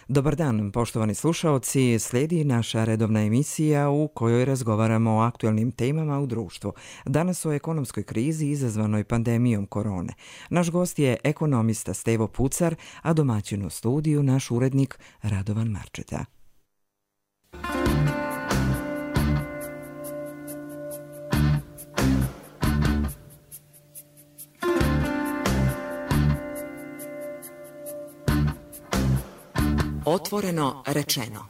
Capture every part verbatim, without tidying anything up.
Dobar dan, poštovani slušaoci, slijedi naša redovna emisija u kojoj razgovaramo o aktualnim temama u društvu. Danas o ekonomskoj krizi izazvanoj pandemijom korone. Naš gost je ekonomista Stevo Pucar, a domaćin u studiju naš urednik Radovan Marčeta. Otvoreno rečeno.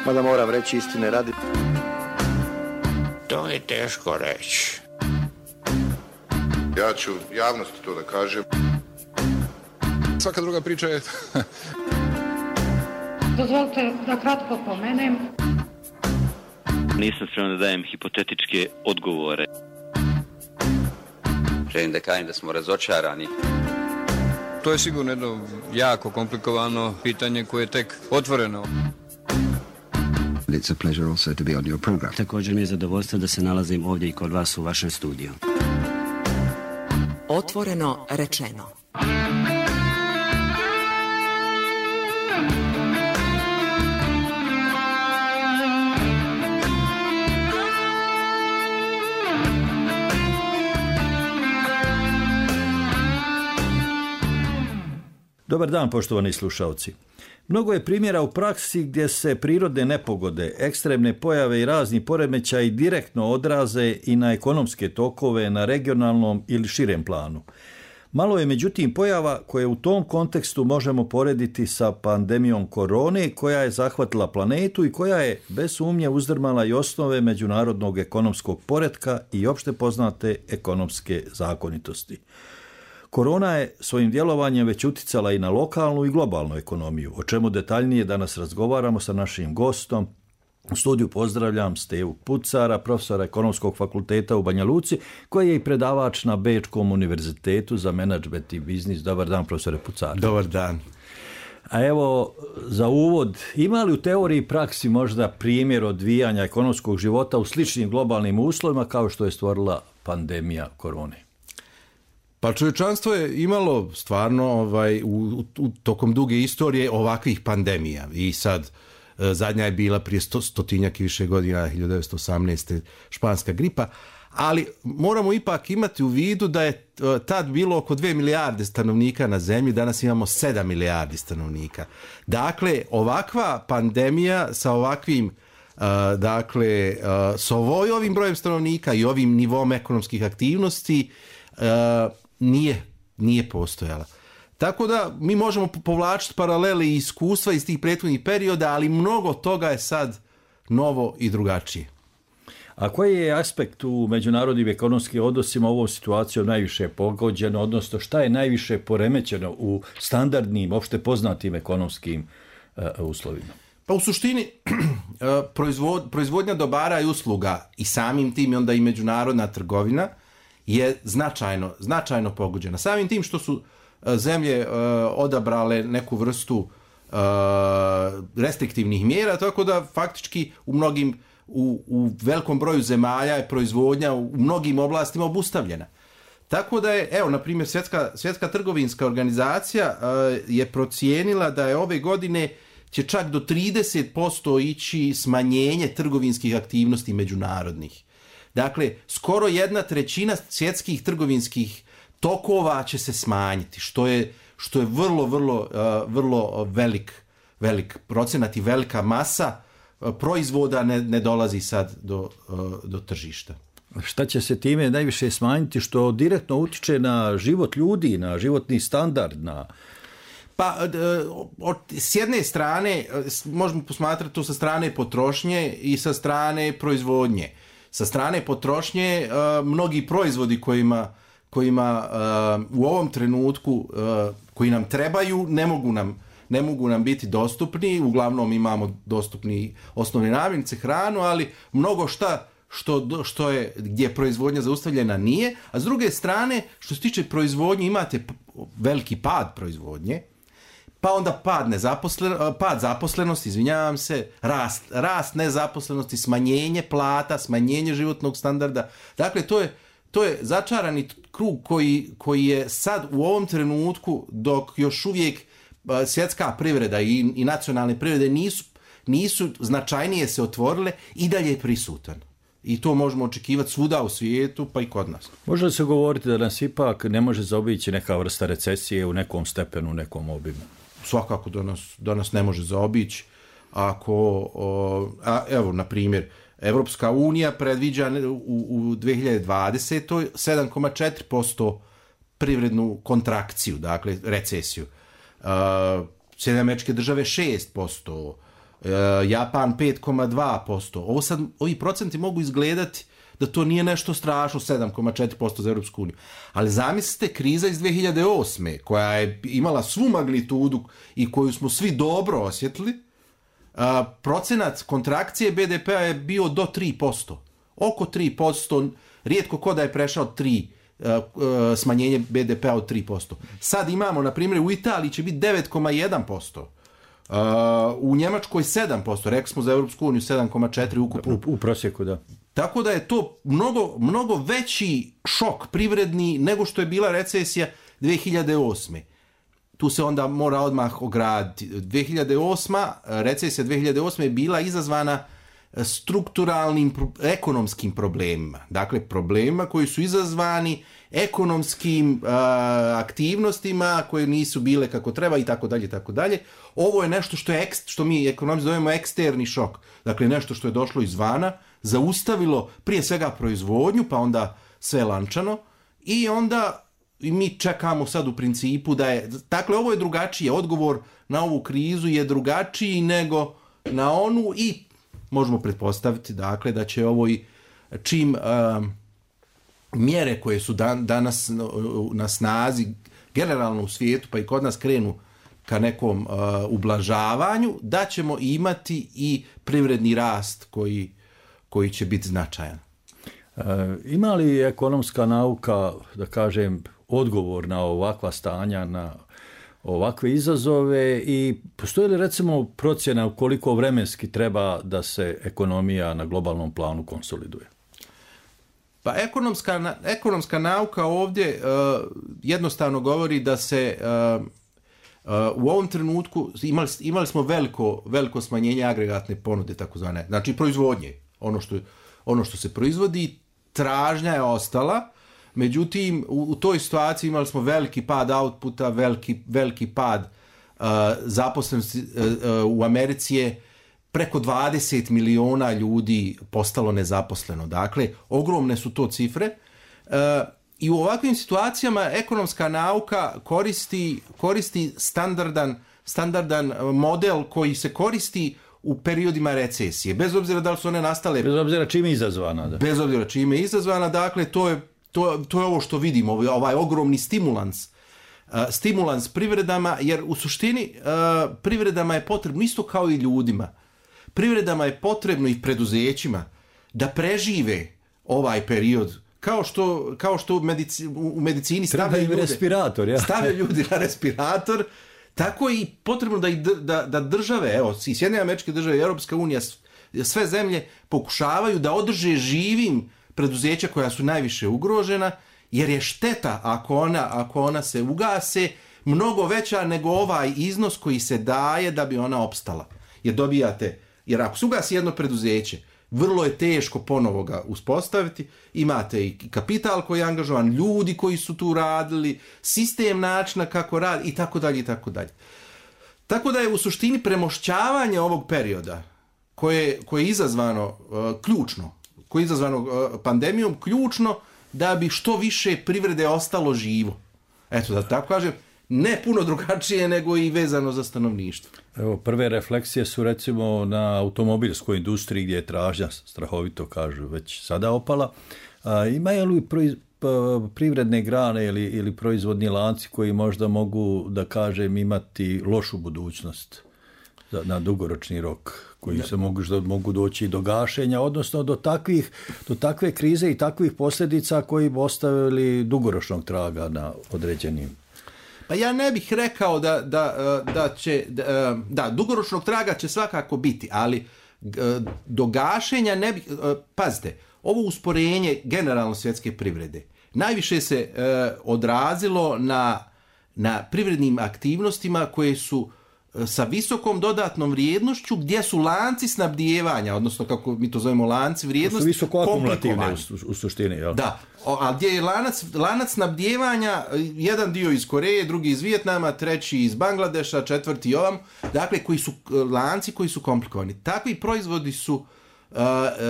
Mada moram reći istine radi. To je teško reći. Ja ću javnosti to da kažem. Svaka druga priča je... Dozvolite da kratko pomenem. Nisam spreman da dajem hipotetičke odgovore. Želim da kažem da smo razočarani. To je sigurno jedno jako komplikovano pitanje koje je tek otvoreno. It's a pleasure also to be on your program. Također mi je zadovoljstvo da se nalazim ovdje i kod vas u vašem studiju. Otvoreno rečeno. Dobar dan, poštovani slušalci. Mnogo je primjera u praksi gdje se prirodne nepogode, ekstremne pojave i razni poremećaji direktno odraze i na ekonomske tokove na regionalnom ili širem planu. Malo je međutim pojava koje u tom kontekstu možemo porediti sa pandemijom korone koja je zahvatila planetu i koja je bez sumnje uzdrmala i osnove međunarodnog ekonomskog poretka i opšte poznate ekonomske zakonitosti. Korona je svojim djelovanjem već uticala i na lokalnu i globalnu ekonomiju, o čemu detaljnije danas razgovaramo sa našim gostom. U studiju pozdravljam Stevu Pucara, profesora Ekonomskog fakulteta u Banja Luci, koji je i predavač na Bečkom univerzitetu za menadžment i biznis. Dobar dan, profesore Pucara. Dobar dan. A evo, za uvod, ima li u teoriji i praksi možda primjer odvijanja ekonomskog života u sličnim globalnim uslovima kao što je stvorila pandemija korone? Pa čovječanstvo je imalo stvarno ovaj, u, u, tokom duge istorije ovakvih pandemija i sad e, zadnja je bila prije sto, stotinjak i više godina, hiljadu devetsto osamnaeste. španska gripa, ali moramo ipak imati u vidu da je e, tad bilo oko dvije milijarde stanovnika na zemlji, danas imamo sedam milijardi stanovnika. Dakle, ovakva pandemija sa ovakvim e, dakle, e, sa ovoj, ovim brojem stanovnika i ovim nivom ekonomskih aktivnosti e, Nije, nije postojala. Tako da mi možemo povlačiti paralele i iskustva iz tih prethodnih perioda, ali mnogo toga je sad novo i drugačije. A koji je aspekt u međunarodnim ekonomskim odnosima ovom situacijom najviše pogođeno, odnosno šta je najviše poremećeno u standardnim, opšte poznatim ekonomskim uh, uslovima? Pa u suštini proizvod, proizvodnja dobara i usluga i samim tim onda i međunarodna trgovina je značajno, značajno pogođena. Samim tim što su zemlje uh, odabrale neku vrstu uh, restriktivnih mjera, tako da faktički u mnogim, u, u velikom broju zemalja je proizvodnja u mnogim oblastima obustavljena. Tako da je, evo, na primjer, Svjetska, Svjetska trgovinska organizacija uh, je procijenila da je ove godine će čak do trideset posto ići smanjenje trgovinskih aktivnosti međunarodnih. Dakle, skoro jedna trećina svjetskih trgovinskih tokova će se smanjiti, što je, što je vrlo, vrlo, uh, vrlo velik, velik procenat i velika masa uh, proizvoda ne, ne dolazi sad do, uh, do tržišta. Šta će se time najviše smanjiti što direktno utiče na život ljudi, na životni standard, na... Pa, od, s jedne strane, možemo posmatrati to sa strane potrošnje i sa strane proizvodnje. Sa strane potrošnje, uh, mnogi proizvodi kojima, kojima uh, u ovom trenutku, uh, koji nam trebaju, ne mogu nam, ne mogu nam biti dostupni. Uglavnom imamo dostupni osnovne namirnice, hranu, ali mnogo šta što, što je, gdje je proizvodnja zaustavljena nije. A s druge strane, što se tiče proizvodnje, imate veliki pad proizvodnje, pa onda pad, nezaposlen, pad zaposlenosti, izvinjavam se, rast, rast nezaposlenosti, smanjenje plata, smanjenje životnog standarda. Dakle, to je, to je začarani krug koji, koji je sad u ovom trenutku, dok još uvijek svjetska privreda i, i nacionalne privrede nisu, nisu značajnije se otvorile, i dalje je prisutan. I to možemo očekivati svuda u svijetu, pa i kod nas. Može li se govoriti da nas ipak ne može zaobići neka vrsta recesije u nekom stepenu, u nekom obimu? Svakako da nas, da nas ne može zaobići. Ako, o, a, evo, na primjer, Evropska unija predviđa u, u dvije hiljade dvadesetoj sedam zarez četiri posto privrednu kontrakciju, dakle recesiju. Uh, Sjedinjene Američke Države šest posto, uh, Japan pet zarez dva posto. Ovo sad, ovi procenti mogu izgledati da to nije nešto strašno, sedam zarez četiri posto za Europsku uniju. Ali zamislite kriza iz dvije hiljade osme koja je imala svu magnitudu i koju smo svi dobro osjetili. Uh, procenat kontrakcije be de pea je bio do tri posto. Oko tri posto, rijetko ko da je prešao tri, uh, uh, smanjenje be de pea od tri posto. Sad imamo, na primjer, u Italiji će biti devet zarez jedan posto. Uh, u Njemačkoj sedam posto, rekli smo za Europsku uniju sedam zarez četiri ukupno. U, u prosjeku, da. Tako da je to mnogo, mnogo veći šok privredni nego što je bila recesija dvije hiljade osme. Tu se onda mora odmah ograditi. dvije hiljade osma, recesija dvije hiljade osme je bila izazvana strukturalnim ekonomskim problemima. Dakle, problemima koji su izazvani ekonomskim uh, aktivnostima koje nisu bile kako treba i tako dalje, tako dalje. Ovo je nešto što je što mi ekonomisti zovemo eksterni šok. Dakle, nešto što je došlo izvana, zaustavilo prije svega proizvodnju, pa onda sve lančano, i onda i mi čekamo sad u principu da je, dakle, ovo je drugačije, odgovor na ovu krizu je drugačiji nego na onu, i možemo pretpostaviti, dakle, da će ovo i čim um, mjere koje su dan, danas na snazi generalno u svijetu, pa i kod nas, krenu ka nekom uh, ublažavanju, da ćemo imati i privredni rast koji, koji će biti značajan. E, ima li ekonomska nauka, da kažem, odgovor na ovakva stanja, na ovakve izazove, i postoji li recimo procjena u koliko vremenski treba da se ekonomija na globalnom planu konsoliduje? Pa ekonomska, ekonomska nauka ovdje uh, jednostavno govori da se uh, uh, u ovom trenutku imali, imali smo veliko, veliko smanjenje agregatne ponude, takozvane, znači proizvodnje, ono što, ono što se proizvodi, tražnja je ostala. Međutim, u, u toj situaciji imali smo veliki pad outputa, veliki, veliki pad uh, zaposlenosti. Uh, uh, u Americi je preko dvadeset miliona ljudi postalo nezaposleno. Dakle, ogromne su to cifre. Uh, I u ovakvim situacijama ekonomska nauka koristi, koristi standardan, standardan model koji se koristi u periodima recesije. Bez obzira da li su one nastale... Bez obzira čime je izazvana. Da. Bez obzira čime je izazvana. Dakle, to je To, to je ovo što vidimo, ovaj ogromni stimulans, uh, stimulans privredama, jer u suštini uh, privredama je potrebno, isto kao i ljudima, privredama je potrebno i preduzećima da prežive ovaj period, kao što, kao što u, medici, u medicini stavljaju ljude, respirator, ja. stavljaju ljudi na respirator, tako i potrebno da, da, da države, evo, i Sjedinjene Američke Države i Europska unija, sve zemlje pokušavaju da održe živim preduzeća koja su najviše ugrožena, jer je šteta ako ona, ako ona se ugase mnogo veća nego ovaj iznos koji se daje da bi ona opstala. Jer dobijate, jer ako se ugasi jedno preduzeće, vrlo je teško ponovo ga uspostaviti, imate i kapital koji je angažovan, ljudi koji su tu radili, sistem načina kako radi i tako dalje i tako dalje. Tako da je u suštini premošćavanje ovog perioda koje, koje je izazvano uh, ključno, koje je izazvano uh, pandemijom, ključno da bi što više privrede ostalo živo. Eto, da tako kažem, ne puno drugačije nego i vezano za stanovništvo. Evo, prve refleksije su recimo na automobilskoj industriji gdje je tražnja, strahovito kažu, već sada opala. A, imaju li proiz, pa, privredne grane ili, ili proizvodni lanci koji možda mogu, da kažem, imati lošu budućnost za, na dugoročni rok, koji se mogu, mogu doći do gašenja, odnosno do, takvih, do takve krize i takvih posljedica koji bi ostavili dugoročnog traga na određenim? Pa ja ne bih rekao da, da, da će, da, da, dugoročnog traga će svakako biti, ali do gašenja ne bih, pazite, ovo usporenje generalno svjetske privrede najviše se e, odrazilo na, na privrednim aktivnostima koje su e, sa visokom dodatnom vrijednošću, gdje su lanci snabdijevanja, odnosno kako mi to zovemo lanci vrijednosti, visoko akumulativne u, u suštini. Jel? Da, a gdje je lanac, lanac snabdijevanja, jedan dio iz Koreje, drugi iz Vijetnama, treći iz Bangladeša, četvrti ovam, dakle koji su lanci koji su komplikovani. Takvi proizvodi su uh,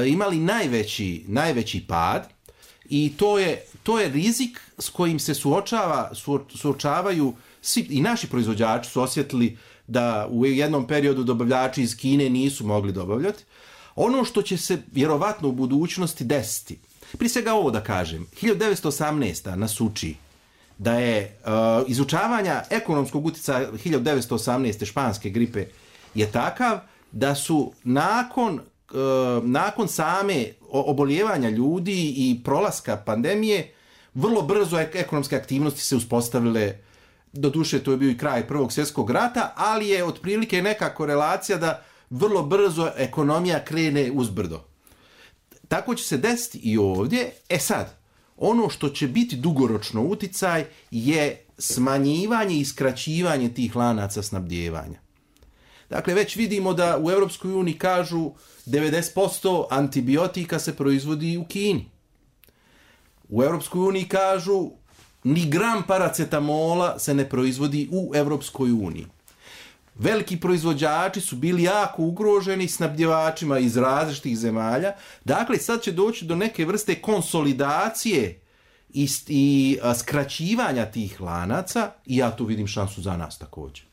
imali najveći, najveći pad i to je, to je rizik s kojim se suočava, su, suočavaju svi, i naši proizvođači su osjetili da u jednom periodu dobavljači iz Kine nisu mogli dobavljati. Ono što će se vjerovatno u budućnosti desiti, prije svega ovo da kažem, hiljadu devetsto osamnaesta nas uči da je uh, izučavanja ekonomskog utjecaja hiljadu devetsto osamnaeste španske gripe je takav da su nakon, uh, nakon same oboljevanja ljudi i prolaska pandemije vrlo brzo ekonomske aktivnosti se uspostavile. Doduše, to je bio i kraj Prvog svjetskog rata, ali je otprilike neka korelacija da vrlo brzo ekonomija krene uzbrdo. Tako će se desiti i ovdje. E sad, ono što će biti dugoročno uticaj je smanjivanje i skraćivanje tih lanaca snabdijevanja. Dakle, već vidimo da u Europskoj uniji kažu devedeset posto antibiotika se proizvodi u Kini. U Europskoj uniji kažu ni gram paracetamola se ne proizvodi u Europskoj uniji. Veliki proizvođači su bili jako ugroženi snabdjevačima iz različitih zemalja. Dakle, sad će doći do neke vrste konsolidacije i, i skraćivanja tih lanaca i ja tu vidim šansu za nas također.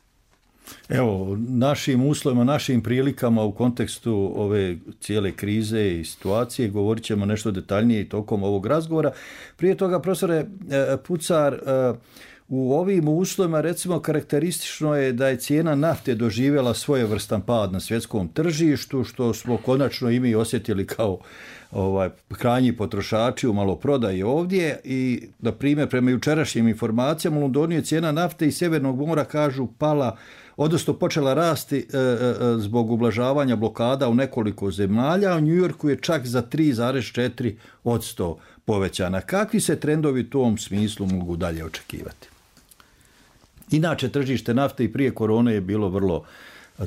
Evo, našim uslovima, našim prilikama u kontekstu ove cijele krize i situacije govorit ćemo nešto detaljnije i tokom ovog razgovora. Prije toga, profesore Pucar, u ovim uslovima recimo karakteristično je da je cijena nafte doživjela svojevrstan pad na svjetskom tržištu, što smo konačno i mi osjetili kao ovaj, krajnji potrošači u maloprodaji ovdje i, na primjer, prema jučerašnjim informacijama u Londonu je cijena nafte iz Sjevernog mora, kažu, pala, odnosno počela rasti e, e, zbog ublažavanja blokada u nekoliko zemalja, a u New Yorku je čak za tri zarez četiri posto povećana. Kakvi se trendovi u tom smislu mogu dalje očekivati? Inače, tržište nafte i prije korone je bilo vrlo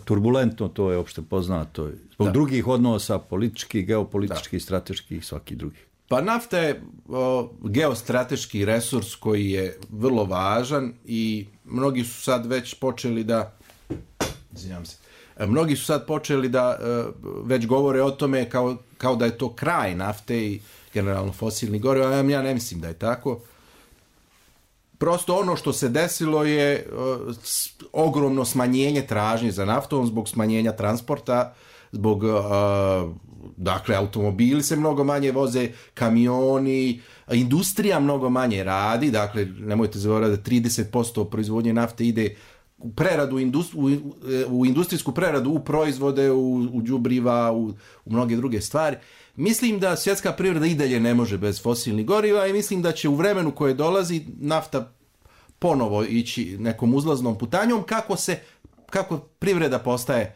turbulentno, to je opšte poznato, zbog da. drugih odnosa, političkih, geopolitičkih, da. strateških, svaki drugih. Pa nafta je o, geostrateški resurs koji je vrlo važan i mnogi su sad već počeli da, izvinjam se, mnogi su sad počeli da već govore o tome kao, kao da je to kraj nafte i generalno fosilni goriva, a ja ne mislim da je tako. Prosto ono što se desilo je uh, ogromno smanjenje tražnje za naftom zbog smanjenja transporta, zbog, uh, dakle, automobili se mnogo manje voze, kamioni, industrija mnogo manje radi, dakle, nemojte zaboraviti da trideset posto proizvodnje nafte ide u preradu, industri, u, u industrijsku preradu, u proizvode, u, u đubriva, u, u mnoge druge stvari. Mislim da svjetska privreda i dalje ne može bez fosilnih goriva i mislim da će u vremenu koje dolazi nafta ponovo ići nekom uzlaznom putanjom kako se, kako privreda postaje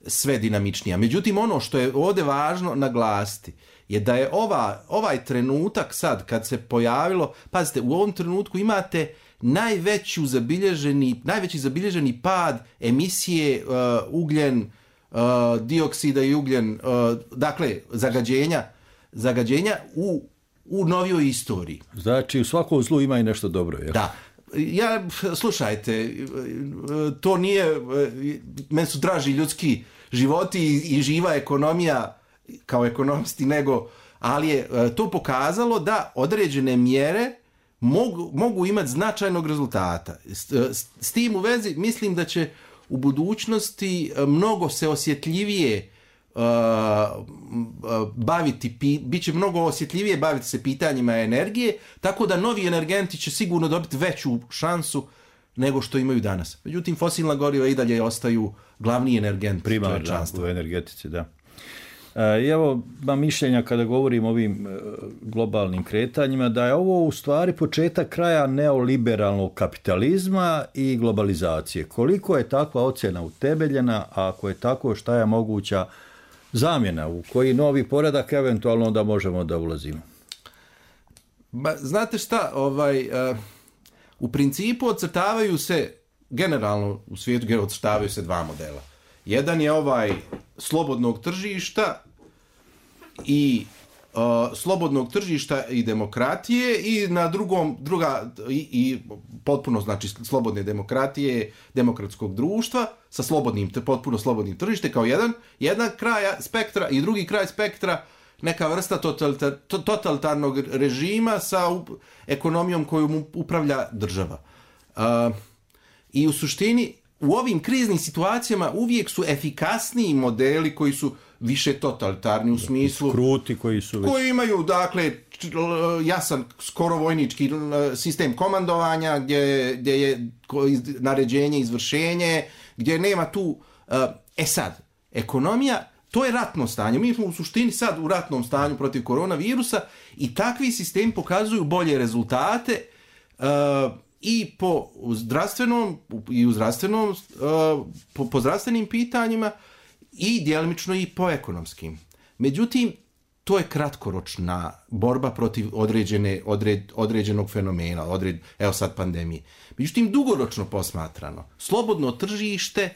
sve dinamičnija. Međutim, ono što je ovdje važno naglasiti je da je ova, ovaj trenutak sad kad se pojavilo, pazite, u ovom trenutku imate najveći zabilježeni, najveći zabilježeni pad emisije uh, ugljen, Uh, dioksida i ugljen, uh, dakle, zagađenja, zagađenja u, u novijoj istoriji. Znači, u svakom zlu ima i nešto dobro, jel? Da. Ja, slušajte, to nije, meni su draži ljudski životi i, i živa ekonomija kao ekonomisti, nego, ali je to pokazalo da određene mjere mogu, mogu imati značajnog rezultata. S, s, s tim u vezi mislim da će u budućnosti mnogo se osjetljivije uh, baviti, pi, bit će mnogo osjetljivije baviti se pitanjima energije, tako da novi energenti će sigurno dobiti veću šansu nego što imaju danas. Međutim, fosilna goriva i dalje ostaju glavni energent čovječanstva. U energetici, da. I evo, ima mišljenja kada govorim o ovim globalnim kretanjima, da je ovo u stvari početak kraja neoliberalnog kapitalizma i globalizacije. Koliko je takva ocjena utemeljena, a ako je tako, šta je moguća zamjena, u koji novi poredak eventualno da možemo da ulazimo? Ba, znate šta, ovaj, uh, u principu ocrtavaju se, generalno u svijetu ocrtavaju se dva modela. Jedan je ovaj slobodnog tržišta i uh, slobodnog tržišta i demokratije i na drugom, druga, i, i potpuno znači slobodne demokratije, demokratskog društva sa slobodnim, potpuno slobodnim tržište kao jedan, jedan kraj spektra i drugi kraj spektra neka vrsta totalitar, totalitarnog režima sa ekonomijom koju mu upravlja država. Uh, I u suštini u ovim kriznim situacijama uvijek su efikasniji modeli koji su više totalitarni u smislu kruti koji su već... koji imaju dakle jasan skoro vojnički sistem komandovanja gdje, gdje je naređenje, izvršenje, gdje nema tu e sad ekonomija, to je ratno stanje. Mi smo u suštini sad u ratnom stanju protiv koronavirusa i takvi sistemi pokazuju bolje rezultate uh, i po zdravstvenom i u zdravstvenom uh, po, po zdravstvenim pitanjima i djelomično i po ekonomskim. Međutim, to je kratkoročna borba protiv određene, odred, određenog fenomena, odred, evo sad pandemije. Međutim, dugoročno posmatrano, slobodno tržište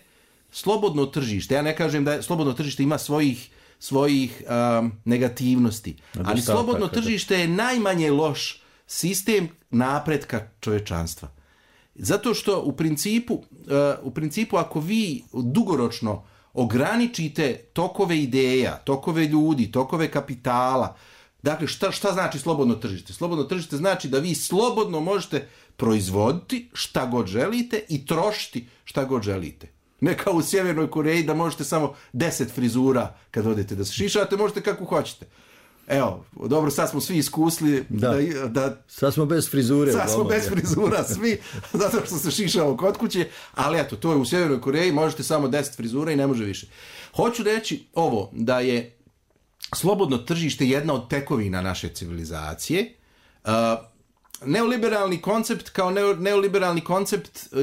Slobodno tržište, ja ne kažem da je, slobodno tržište ima svojih, svojih um, negativnosti, ali slobodno tržište je najmanje loš sistem napretka čovječanstva. Zato što u principu, uh, u principu ako vi dugoročno ograničite tokove ideja, tokove ljudi, tokove kapitala, dakle šta, šta znači slobodno tržište? Slobodno tržište znači da vi slobodno možete proizvoditi šta god želite i trošiti šta god želite. Ne kao u Sjevernoj Koreji da možete samo deset frizura kad odete da se šišate, možete kako hoćete. Evo, dobro, sad smo svi iskusili da, da, da sad smo bez frizure. Sad smo bez frizura svi, zato što se šišamo kod kuće, ali eto, to je u Sjevernoj Koreji, možete samo deset frizura i ne može više. Hoću reći ovo, da je slobodno tržište jedna od tekovina naše civilizacije. Uh, neoliberalni koncept kao neo, neoliberalni koncept uh,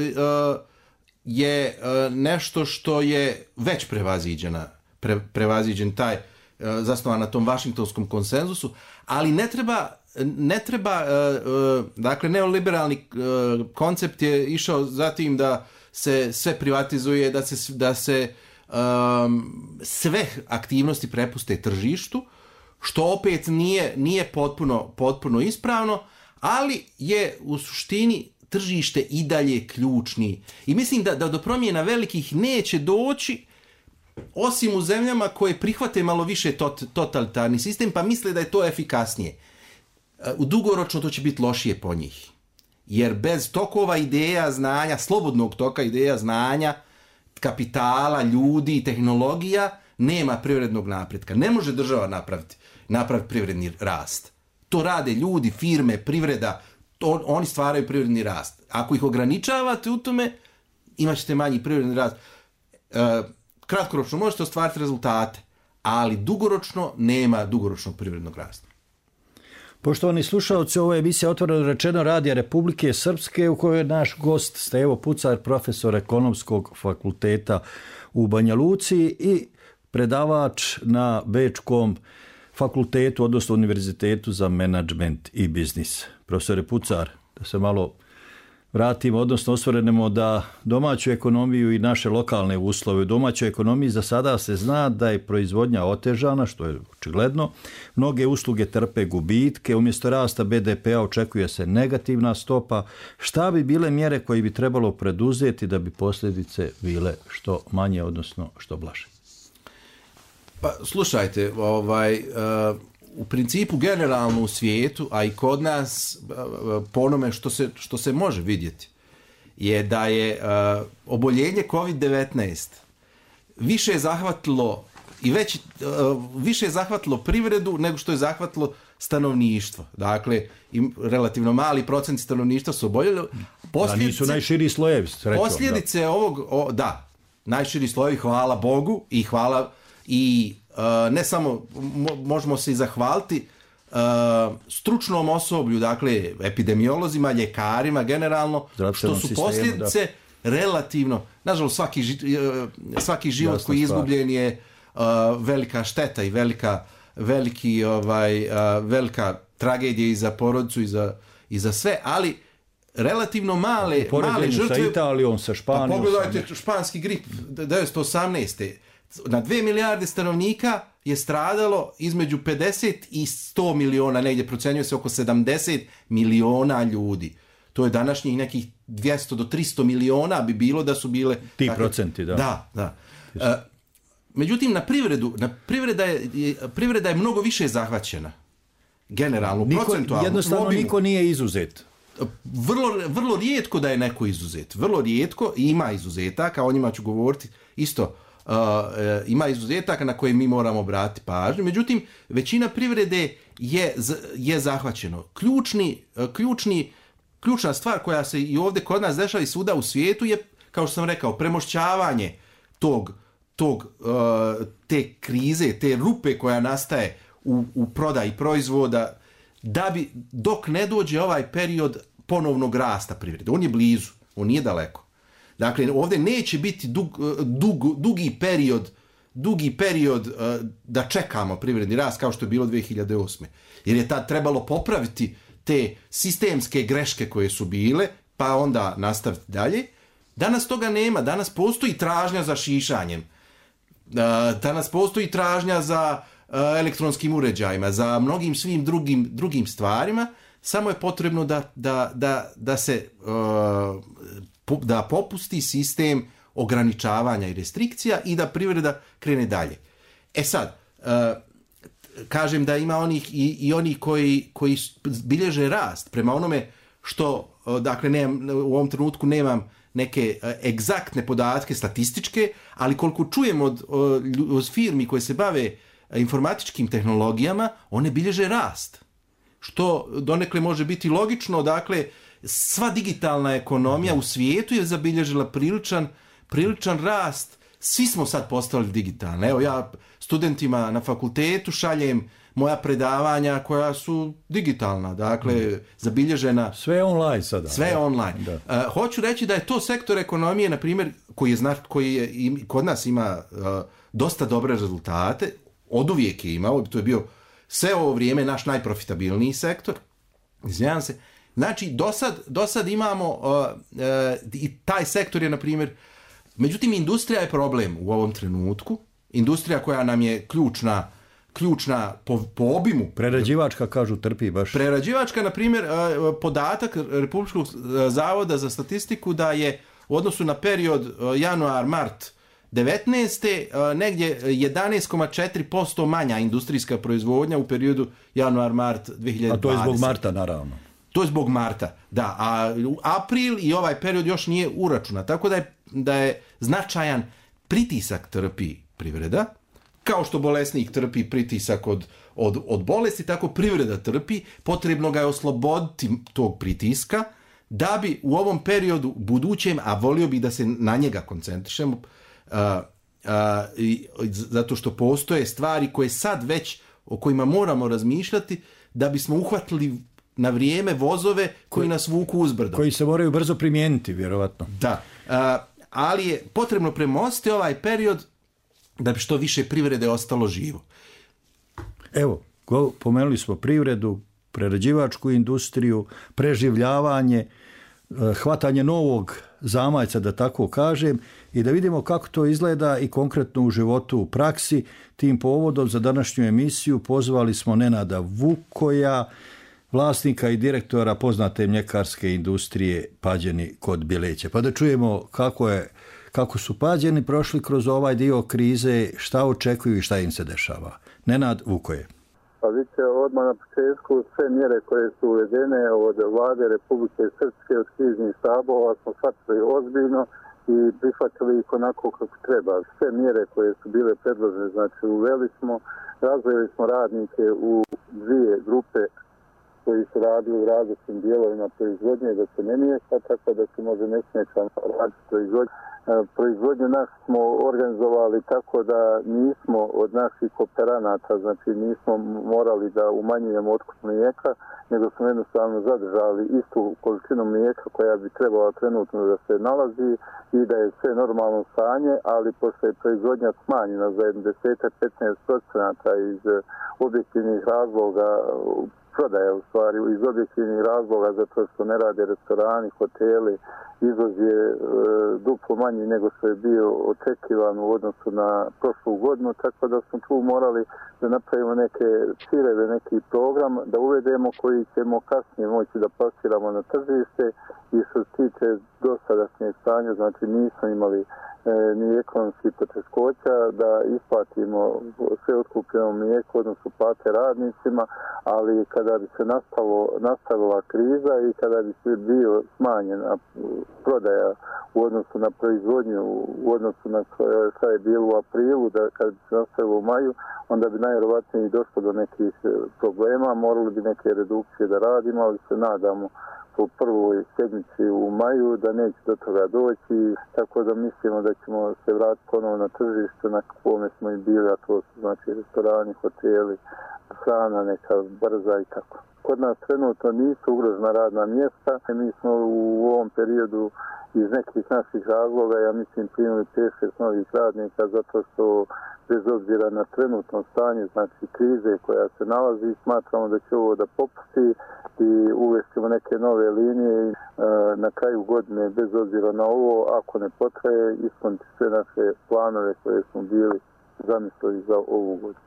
je uh, nešto što je već prevaziđena, pre, prevaziđen taj, uh, zasnovan na tom vašingtonskom konsenzusu, ali ne treba, ne treba uh, uh, dakle, neoliberalni uh, koncept je išao zatim da se sve privatizuje, da se, da se um, sve aktivnosti prepuste tržištu, što opet nije, nije potpuno, potpuno ispravno, ali je u suštini tržište i dalje ključni. I mislim da, da do promjena velikih neće doći, osim u zemljama koje prihvate malo više tot, totalitarni sistem, pa misle da je to efikasnije. U dugoročno to će biti lošije po njih. Jer bez tokova ideja, znanja, slobodnog toka ideja, znanja, kapitala, ljudi i tehnologija, nema privrednog napretka. Ne može država napraviti, napraviti privredni rast. To rade ljudi, firme, privreda, to, oni stvaraju privredni rast. Ako ih ograničavate u tome, imat ćete manji privredni rast. E, kratkoročno možete ostvariti rezultate, ali dugoročno nema dugoročnog privrednog rasta. Poštovani slušalci, ovo je emisija Otvoreno rečeno Radija Republike Srpske, u kojoj je naš gost Stevo Pucar, profesor Ekonomskog fakulteta u Banja Luci i predavač na Bečkom fakultetu, odnosno Univerzitetu za menadžment i biznis. Profesore Pucar, da se malo vratimo, odnosno osvrnemo da domaću ekonomiju i naše lokalne uslove u domaćoj ekonomiji za sada se zna da je proizvodnja otežana, što je očigledno. Mnoge usluge trpe gubitke, umjesto rasta be de pe a očekuje se negativna stopa. Šta bi bile mjere koje bi trebalo preduzeti da bi posljedice bile što manje, odnosno što blaže? Pa slušajte, ovaj, uh, u principu generalno u svijetu, a i kod nas, uh, po onome što se, što se može vidjeti, je da je uh, oboljenje kovid devetnaest više je zahvatilo i već, uh, više je zahvatilo privredu nego što je zahvatilo stanovništvo. Dakle, im relativno mali procent stanovništva su oboljeli. Da nisu najširi slojevi, srećom. Posljedice da. ovog, o, da, najširi slojevi, hvala Bogu i hvala i uh, ne samo mo, možemo se i zahvaliti uh, stručnom osoblju, dakle epidemiolozima, ljekarima generalno, što su posljedice da. relativno, nažalost svaki, ži, svaki život Jasna koji je izgubljen je uh, velika šteta i velika, veliki, ovaj, uh, velika tragedija i za porodicu i za, i za sve, ali relativno male, male žrtve. Sa Italijom, sa Španijom. Pa pogledajte španski grip devetsto osamnaeste. Na dve milijarde stanovnika je stradalo između pedeset i sto miliona, negdje procenjuje se oko sedamdeset miliona ljudi. To je današnjih nekih dvjesto do tristo miliona bi bilo da su bile... Ti takve, procenti, da. Da, da. E, međutim, na privredu, na privreda, je, privreda je mnogo više zahvaćena. Generalno, niko, procentualno. Jednostavno niko nije izuzet. Vrlo, vrlo rijetko da je neko izuzet. Vrlo rijetko, ima izuzetaka, o njima ću govoriti isto. Uh, ima izuzetaka na koje mi moramo obratiti pažnju. Međutim, većina privrede je, je zahvaćeno. Ključni, ključni, ključna stvar koja se i ovdje kod nas dešava i svuda u svijetu je, kao što sam rekao, premošćavanje tog, tog, uh, te krize, te rupe koja nastaje u, u prodaji proizvoda, da bi, dok ne dođe ovaj period ponovnog rasta privrede. On je blizu, on nije daleko. Dakle, ovdje neće biti dug, dug, dugi period, dugi period uh, da čekamo privredni rast kao što je bilo dvije hiljade osme. Jer je tad trebalo popraviti te sistemske greške koje su bile, pa onda nastaviti dalje. Danas toga nema, danas postoji tražnja za šišanjem. Uh, danas postoji tražnja za uh, elektronskim uređajima, za mnogim svim drugim, drugim stvarima. Samo je potrebno da, da, da, da se... Uh, da popusti sistem ograničavanja i restrikcija i da privreda krene dalje. E sad, uh, kažem da ima onih i, i oni koji, koji bilježe rast prema onome što, uh, dakle, nemam, u ovom trenutku nemam neke uh, egzaktne podatke statističke, ali koliko čujem od, od, od firmi koje se bave informatičkim tehnologijama, one bilježe rast. Što donekle može biti logično, dakle, sva digitalna ekonomija u svijetu je zabilježila priličan, priličan rast. Svi smo sad postali digitalni. Evo, ja studentima na fakultetu šaljem moja predavanja koja su digitalna, dakle, mm. zabilježena. Sve je online sada. Sve je online. Da. Uh, hoću reći da je to sektor ekonomije, na primjer, koji je, zna, koji je im, kod nas ima uh, dosta dobre rezultate, oduvijek je imao, to je bio sve ovo vrijeme naš najprofitabilniji sektor. Izvinjam se. Znači, do sad, do sad imamo, uh, uh, i taj sektor je, na primjer, međutim, industrija je problem u ovom trenutku. Industrija koja nam je ključna, ključna po, po obimu. Prerađivačka, kažu, trpi baš. Prerađivačka, na primjer, uh, podatak Republičkog zavoda za statistiku da je u odnosu na period uh, januar-mart devetnaeste Uh, negdje jedanaest zarez četiri posto manja industrijska proizvodnja u periodu januar-mart dvije hiljade dvadesete. A to je zbog marta, naravno. To je zbog marta, da, a april i ovaj period još nije uračunat, tako da je, da je značajan pritisak trpi privreda, kao što bolesnik trpi pritisak od, od, od bolesti, tako privreda trpi, potrebno ga je osloboditi tog pritiska, da bi u ovom periodu budućem, a volio bi da se na njega koncentrišemo, uh, uh, i, zato što postoje stvari koje sad već, o kojima moramo razmišljati, da bismo uhvatili na vrijeme vozove koji, koji nas vuku uzbrdo. Koji se moraju brzo primijeniti, vjerovatno. Da, uh, ali je potrebno premostiti ovaj period da bi što više privrede ostalo živo. Evo, go, pomenuli smo privredu, prerađivačku industriju, preživljavanje, hvatanje novog zamajca, da tako kažem, i da vidimo kako to izgleda i konkretno u životu u praksi. Tim povodom za današnju emisiju pozvali smo Nenada Vukoja, vlasnika i direktora poznate mljekarske industrije Pađeni kod Bileća. Pa da čujemo kako, je, kako su Pađeni prošli kroz ovaj dio krize, šta očekuju i šta im se dešava. Nenad Vukoje. Pa vidite, odmah na početku sve mjere koje su uvedene od vlade Republike Srpske, od kriznih štabova smo shvatili ozbiljno i prihvatili ih onako kako treba. Sve mjere koje su bile predložene, znači uveli smo, razvojili smo radnike u dvije grupe koji su radili u različitim dijelovima proizvodnje, da se ne miješa, tako da se može nesmetano raditi proizvodnje. Proizvodnju naš smo organizovali tako da nismo od naših kooperanata, znači nismo morali da umanjujemo otkup mlijeka, nego smo jednostavno zadržali istu količinu mlijeka koja bi trebala trenutno da se nalazi i da je sve normalno stanje, ali pošto je proizvodnja smanjena za deset do petnaest procenata iz objektivnih razloga, prodaja u stvari iz objektivnih razloga zato što ne rade restorani, hoteli, izvoz je e, duplo manji nego što je bio očekivan u odnosu na prošlu godinu, tako da smo tu morali da napravimo neke ciljeve, neki program da uvedemo koji ćemo kasnije moći da plasiramo na tržište i što se tiče dosadašnjeg stanja, znači nismo imali e, ni ekonomski poteškoća da isplatimo sve otkupljeno mlijeko, odnosno plate radnicima, ali kada bi se nastalo, nastavila kriza i kada bi se bio smanjena prodaja u odnosu na proizvodnju, u odnosu na šta je bilo u aprilu, da kad bi se nastavilo u maju, onda bi najvjerovatnije došlo do nekih problema, morali bi neke redukcije da radimo, ali se nadamo po prvoj sedmici u maju da neće do toga doći, tako da mislimo da ćemo se vratiti ponovo na tržište na kome smo i bili, a to su znači restorani, hoteli, hrana neka brza i tako. Kod nas trenutno nisu ugrožena radna mjesta, mi smo u ovom periodu iz nekih naših razloga, ja mislim, primili pet šest novih radnika zato što bez obzira na trenutno stanje, znači krize koja se nalazi, smatramo da će ovo da popusti i uvestimo neke nove linije i na kraju godine, bez obzira na ovo, ako ne potraje, ispuniti sve naše planove koje smo bili zamislili za ovu godinu.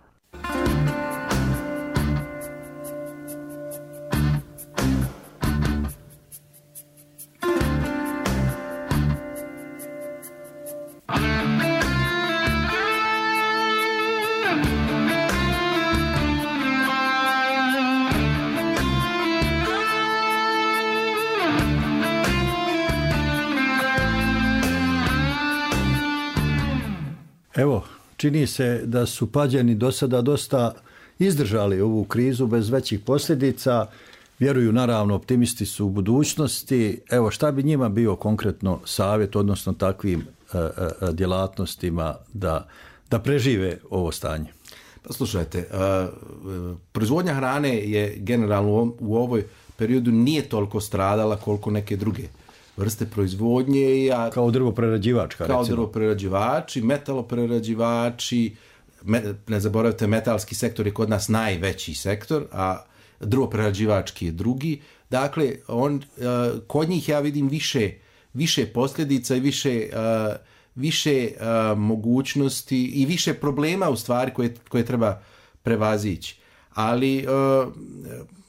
Evo, čini se da su Pađani do sada dosta izdržali ovu krizu bez većih posljedica. Vjeruju, naravno, optimisti su u budućnosti. Evo, šta bi njima bio konkretno savjet, odnosno takvim e, e, djelatnostima da, da prežive ovo stanje? Pa slušajte, e, proizvodnja hrane je generalno u ovoj periodu nije toliko stradala koliko neke druge vrste proizvodnje. A, kao drvoprerađivačka, kao recimo. drvoprerađivači, metaloprerađivači, me, ne zaboravite, metalski sektor je kod nas najveći sektor, a drvoprerađivački je drugi. Dakle, on, kod njih ja vidim više, više posljedica i više, više mogućnosti i više problema u stvari koje, koje treba prevazići. Ali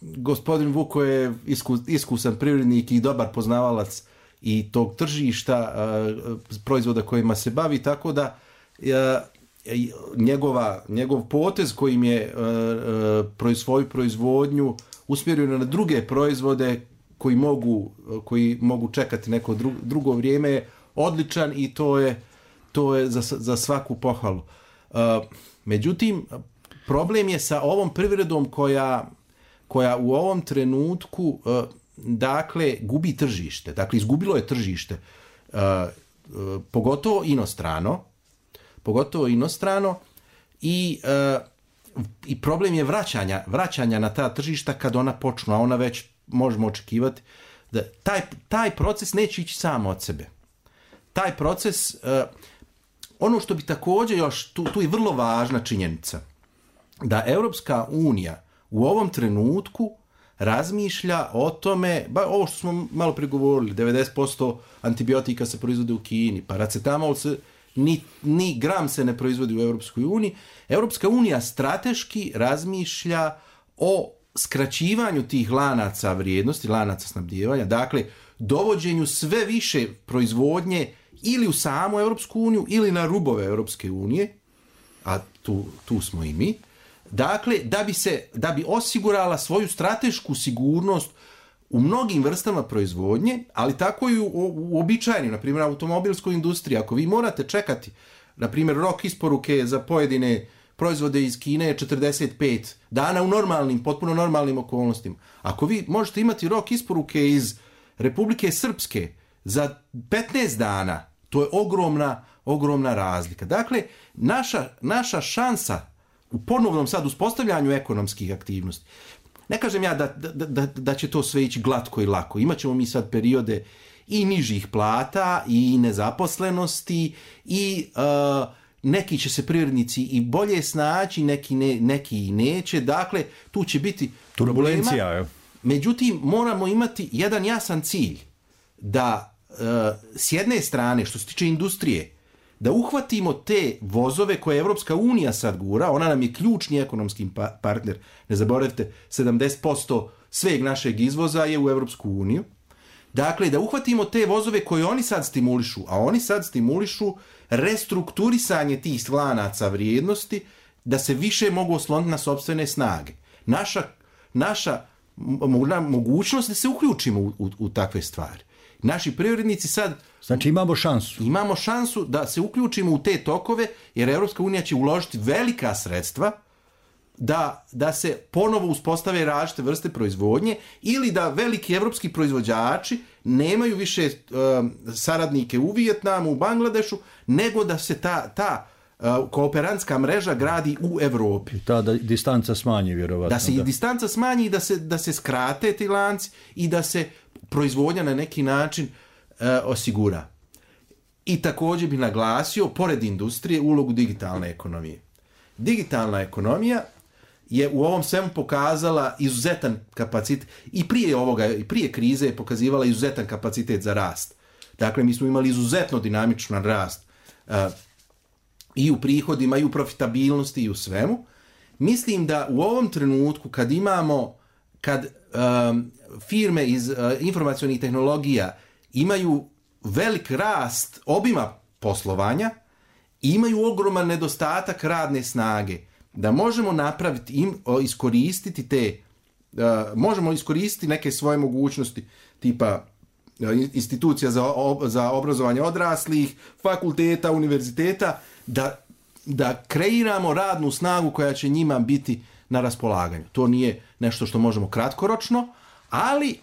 gospodin Vuko je iskusan privrednik i dobar poznavalac i tog tržišta proizvoda kojima se bavi, tako da njegova, njegov potez kojim je svoju proizvodnju usmjerio na druge proizvode koji mogu, koji mogu čekati neko drugo vrijeme je odličan i to je, to je za, za svaku pohvalu. Međutim, problem je sa ovom privredom koja, koja u ovom trenutku dakle gubi tržište. Dakle, izgubilo je tržište, pogotovo inostrano, pogotovo inostrano i, i problem je vraćanja, vraćanja na ta tržišta kad ona počnu, a ona već možemo očekivati da taj, taj proces neće ići samo od sebe. Taj proces, ono što bi također još, tu, tu je vrlo važna činjenica, da Europska unija u ovom trenutku razmišlja o tome, ba, ovo što smo malo pregovorili, devedeset posto antibiotika se proizvode u Kini, paracetamol se, ni, ni gram se ne proizvodi u Europskoj uniji. Europska unija strateški razmišlja o skraćivanju tih lanaca vrijednosti, lanaca snabdijevanja, dakle, dovođenju sve više proizvodnje ili u samu Europsku uniju ili na rubove Europske unije, a tu, tu smo i mi. Dakle, da bi, se, da bi osigurala svoju stratešku sigurnost u mnogim vrstama proizvodnje, ali tako i u, u običajnim, na primjer, automobilskoj industriji. Ako vi morate čekati, na primjer, rok isporuke za pojedine proizvode iz Kine četrdeset pet dana u normalnim, potpuno normalnim okolnostima. Ako vi možete imati rok isporuke iz Republike Srpske za petnaest dana, to je ogromna, ogromna razlika. Dakle, naša, naša šansa u ponovnom sad uspostavljanju ekonomskih aktivnosti, ne kažem ja da, da, da, da će to sve ići glatko i lako. Imaćemo mi sad periode i nižih plata i nezaposlenosti i uh, neki će se privrednici i bolje snaći, neki, ne, neki i neće. Dakle, tu će biti turbulencija. problema. Međutim, moramo imati jedan jasan cilj da uh, s jedne strane, što se tiče industrije, da uhvatimo te vozove koje Evropska unija sad gura, ona nam je ključni ekonomski pa- partner, ne zaboravite, sedamdeset posto sveg našeg izvoza je u Evropsku uniju. Dakle, da uhvatimo te vozove koje oni sad stimulišu, a oni sad stimulišu restrukturisanje tih lanaca vrijednosti, da se više mogu osloniti na sopstvene snage. Naša, naša mogućnost da se uključimo u, u, u takve stvari. Naši privrednici sad... Znači imamo šansu. Imamo šansu da se uključimo u te tokove, jer Evropska unija će uložiti velika sredstva da, da se ponovo uspostave različite vrste proizvodnje ili da veliki evropski proizvođači nemaju više um, saradnike u Vijetnamu, u Bangladešu, nego da se ta, ta uh, kooperantska mreža gradi u Evropi. I ta da, distanca smanji, vjerovatno. Da se da. i distanca smanji i da se, da se skrate ti lanci i da se proizvodnja na neki način uh, osigura. I također bi naglasio, pored industrije, ulogu digitalne ekonomije. Digitalna ekonomija je u ovom svemu pokazala izuzetan kapacitet i prije ovoga, i prije krize je pokazivala izuzetan kapacitet za rast. Dakle, mi smo imali izuzetno dinamičan rast uh, i u prihodima, i u profitabilnosti, i u svemu. Mislim da u ovom trenutku, kad imamo, kad um, firme iz uh, informacionih tehnologija imaju velik rast obima poslovanja, imaju ogroman nedostatak radne snage, da možemo napraviti, im, iskoristiti te, uh, možemo iskoristiti neke svoje mogućnosti, tipa uh, institucija za, ob, za obrazovanje odraslih, fakulteta, univerziteta, da, da kreiramo radnu snagu koja će njima biti na raspolaganju. To nije nešto što možemo kratkoročno, ali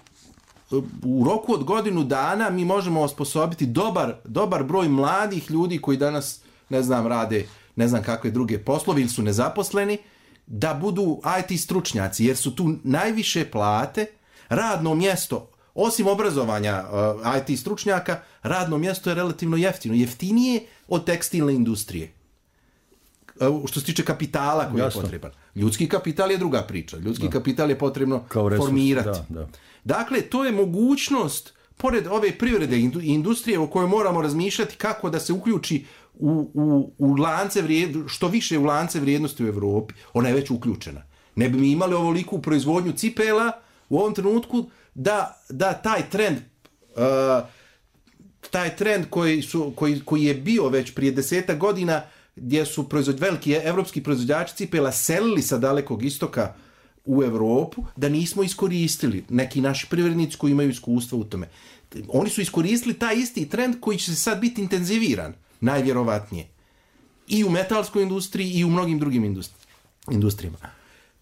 u roku od godinu dana mi možemo osposobiti dobar, dobar broj mladih ljudi koji danas, ne znam, rade ne znam kakve druge poslove ili su nezaposleni, da budu I T stručnjaci, jer su tu najviše plate, radno mjesto, osim obrazovanja uh, I T stručnjaka, radno mjesto je relativno jeftino. Jeftinije od tekstilne industrije. Uh, što se tiče kapitala koji Jasno. je potreban. Ljudski kapital je druga priča. Ljudski da. kapital je potrebno formirati. Da, da. Dakle, to je mogućnost, pored ove privrede i industrije o kojoj moramo razmišljati kako da se uključi U, u, u lance vrijednosti, što više u lance vrijednosti u Evropi, ona je već uključena. Ne bi mi imali ovoliku proizvodnju cipela u ovom trenutku da, da taj trend uh, taj trend koji, su, koji, koji je bio već prije desetak godina, gdje su proizvod, veliki evropski proizvođači cipela selili sa Dalekog istoka u Evropu, da nismo iskoristili neki naši privrednici koji imaju iskustva u tome. Oni su iskoristili taj isti trend koji će se sad biti intenziviran, najvjerovatnije. I u metalskoj industriji i u mnogim drugim industri- industrijama.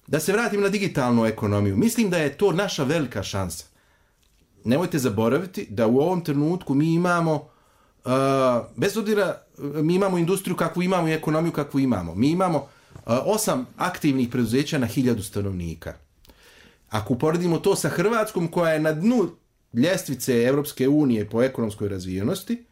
Da se vratim na digitalnu ekonomiju. Mislim da je to naša velika šansa. Nemojte zaboraviti da u ovom trenutku mi imamo, uh, bez obzira, mi imamo industriju kakvu imamo i ekonomiju kakvu imamo. Mi imamo uh, osam aktivnih preduzeća na hiljadu stanovnika. Ako uporedimo to sa Hrvatskom, koja je na dnu ljestvice Evropske unije po ekonomskoj razvijenosti,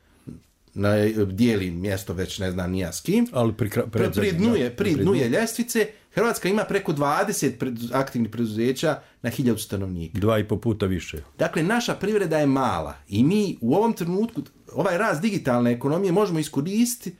na, dijeli mjesto već ne znam nija s kim, ali pri, pri, pri dnu je, pri dnu je ljestvice, Hrvatska ima preko dvadeset pred, aktivnih preduzeća na hiljadu stanovnika. Dva i po puta više. Dakle, naša privreda je mala i mi u ovom trenutku ovaj rast digitalne ekonomije možemo iskoristiti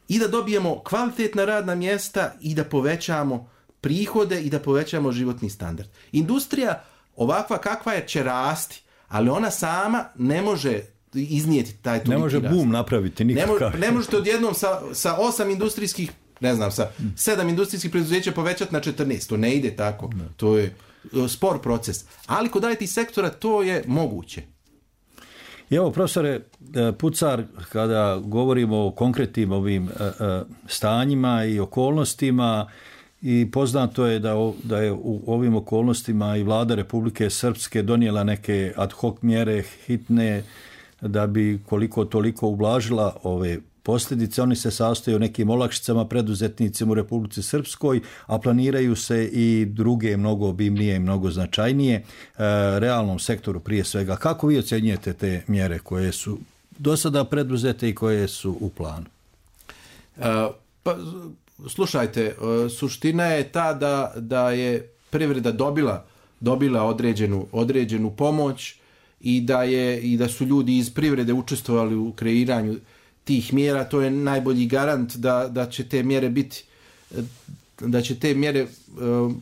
i da dobijemo kvalitetna radna mjesta i da povećamo prihode i da povećamo životni standard. Industrija ovakva kakva je će rasti, ali ona sama ne može iznijeti taj toliki rast. Ne može boom napraviti nikakav. Ne, ne možete odjednom sa, sa osam industrijskih, ne znam, sa sedam industrijskih preduzeća povećati na četrnaest. To ne ide tako. Ne. To je spor proces. Ali kod I T sektora to je moguće. I evo, profesore Pucar, kada govorimo o konkretnim ovim stanjima i okolnostima, i poznato je da, da je u ovim okolnostima i vlada Republike Srpske donijela neke ad hoc mjere hitne da bi koliko toliko ublažila ove posljedice. Oni se sastoje o nekim olakšicama preduzetnicima u Republici Srpskoj, a planiraju se i druge mnogo obimnije i mnogo značajnije realnom sektoru prije svega. Kako vi ocjenjujete te mjere koje su do sada preduzete i koje su u planu? Uh, pa, slušajte, suština je ta da, da je privreda dobila, dobila određenu, određenu pomoć i da, je, i da su ljudi iz privrede učestvovali u kreiranju tih mjera. To je najbolji garant da, da će te mjere biti, da će te mjere uh,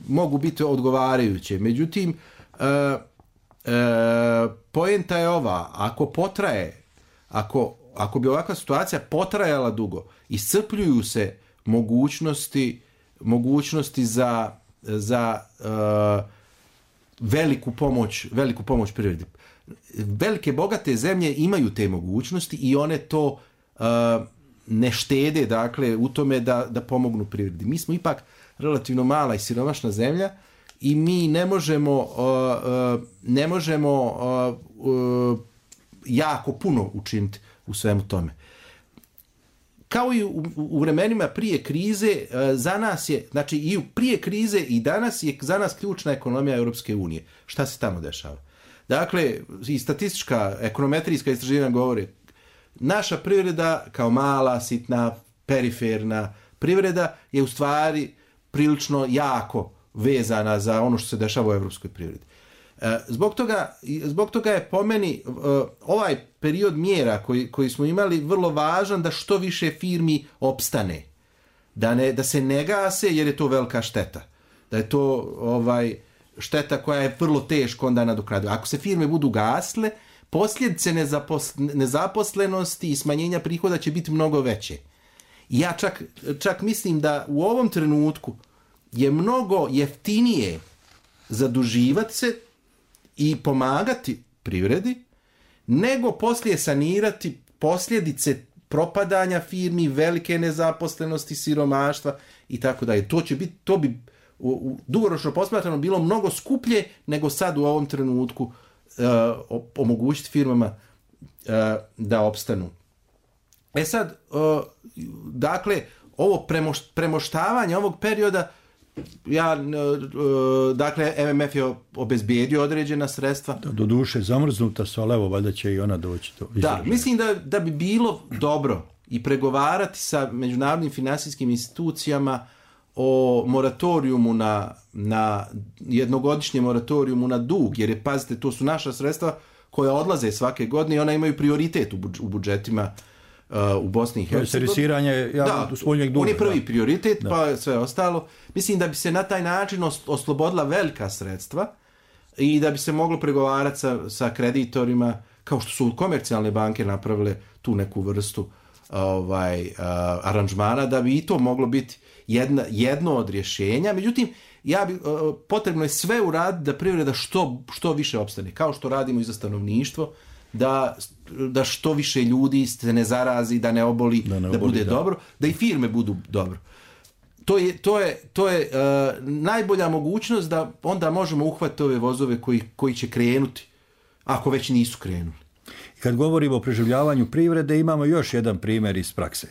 mogu biti odgovarajuće. Međutim, uh, uh, poenta je ova, ako potraje, ako, ako bi ovakva situacija potrajala dugo, iscrpljuju se mogućnosti, mogućnosti za, za uh, veliku pomoć, veliku pomoć privredi. Velike bogate zemlje imaju te mogućnosti i one to uh, ne štede, dakle, u tome da, da pomognu privredi. Mi smo ipak relativno mala i siromašna zemlja i mi ne možemo, uh, uh, ne možemo uh, uh, jako puno učiniti u svemu tome. Kao i u, u vremenima prije krize, za nas je, znači i prije krize i danas je za nas ključna ekonomija Europske unije. Šta se tamo dešava? Dakle, i statistička, ekonometrijska istraživanja govore, naša privreda kao mala, sitna, periferna privreda je u stvari prilično jako vezana za ono što se dešava u europskoj privredi. Zbog toga, zbog toga je po meni ovaj period mjera koji, koji smo imali vrlo važan da što više firmi opstane. Da, ne, da se ne gase jer je to velika šteta. Da je to ovaj, šteta koja je vrlo teško onda nadoknadiva. Ako se firme budu gasle, posljedice nezaposlenosti i smanjenja prihoda će biti mnogo veće. Ja čak, čak mislim da u ovom trenutku je mnogo jeftinije zaduživati se i pomagati privredi, nego poslije sanirati posljedice propadanja firmi, velike nezaposlenosti, siromaštva i tako dalje. To će biti, to bi u, u dugoročno posmatrano bilo mnogo skuplje nego sad u ovom trenutku uh, omogućiti firmama uh, da opstanu. E sad, uh, dakle, ovo premoš, premoštavanje ovog perioda, ja, dakle, M M F je obezbijedio određena sredstva. Da, do duše zamrznuta su, ali evo, valjda će i ona doći do izražaja. Da, mislim da, da bi bilo dobro i pregovarati sa međunarodnim finansijskim institucijama o moratorijumu na, na jednogodišnje moratorijumu na dug, jer je, pazite, to su naša sredstva koja odlaze svake godine i ona imaju prioritet u, budž, u budžetima uh, u Bosni i Hercegovini. Servisiranje spoljnjeg duga. On je prvi prioritet, da. Pa sve ostalo. Mislim da bi se na taj način oslobodila velika sredstva i da bi se moglo pregovarati sa, sa kreditorima, kao što su komercijalne banke napravile tu neku vrstu ovaj, uh, aranžmana, da bi i to moglo biti jedna, jedno od rješenja. Međutim, ja bi, uh, potrebno je sve uraditi da privreda što, što više opstane, kao što radimo i za stanovništvo, da, da što više ljudi se ne zarazi, da ne oboli, da, ne oboli, da bude da. dobro, da i firme budu dobro. To je, to je, to je uh, najbolja mogućnost da onda možemo uhvatiti ove vozove koji, koji će krenuti, ako već nisu krenuli. Kad govorimo o preživljavanju privrede, imamo još jedan primjer iz prakse.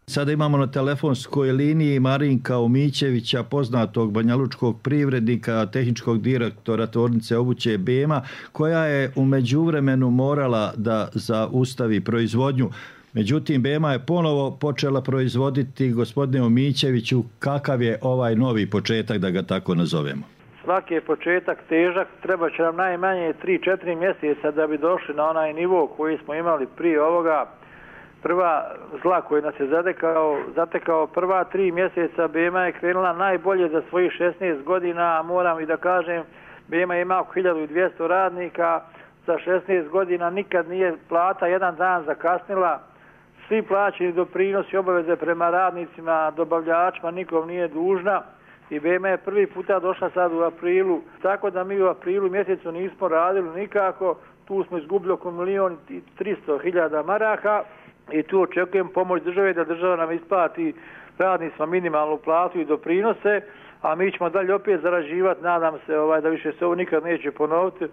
Sada imamo na telefonskoj liniji Marinka Omićevića, poznatog banjalučkog privrednika, tehničkog direktora tvornice obuće B E M-a, koja je u međuvremenu morala da zaustavi proizvodnju. Međutim, B E M-a je ponovo počela proizvoditi. Gospodine Omićeviću, kakav je ovaj novi početak, da ga tako nazovemo? Svaki je početak težak, treba će nam najmanje tri četiri mjeseca da bi došli na onaj nivo koji smo imali prije ovoga. prva zla koja nas je zatekao, zatekao prva tri mjeseca B M A je krenula najbolje za svojih šesnaest godina, a moram i da kažem, B M A ima oko hiljadu dvjesto radnika, za šesnaest godina nikad nije plata jedan dan zakasnila, svi plaćeni doprinosi, obaveze prema radnicima, dobavljačima, nikom nije dužna i B M A je prvi puta došla sad u aprilu, tako da mi u aprilu mjesecu nismo radili nikako, tu smo izgubili oko milijon i tristo hiljada maraka i tu očekujem pomoć države da država nam isplati radnicima minimalnu platu i doprinose, a mi ćemo dalje opet zarađivati, nadam se ovaj, da više se ovo nikad neće ponoviti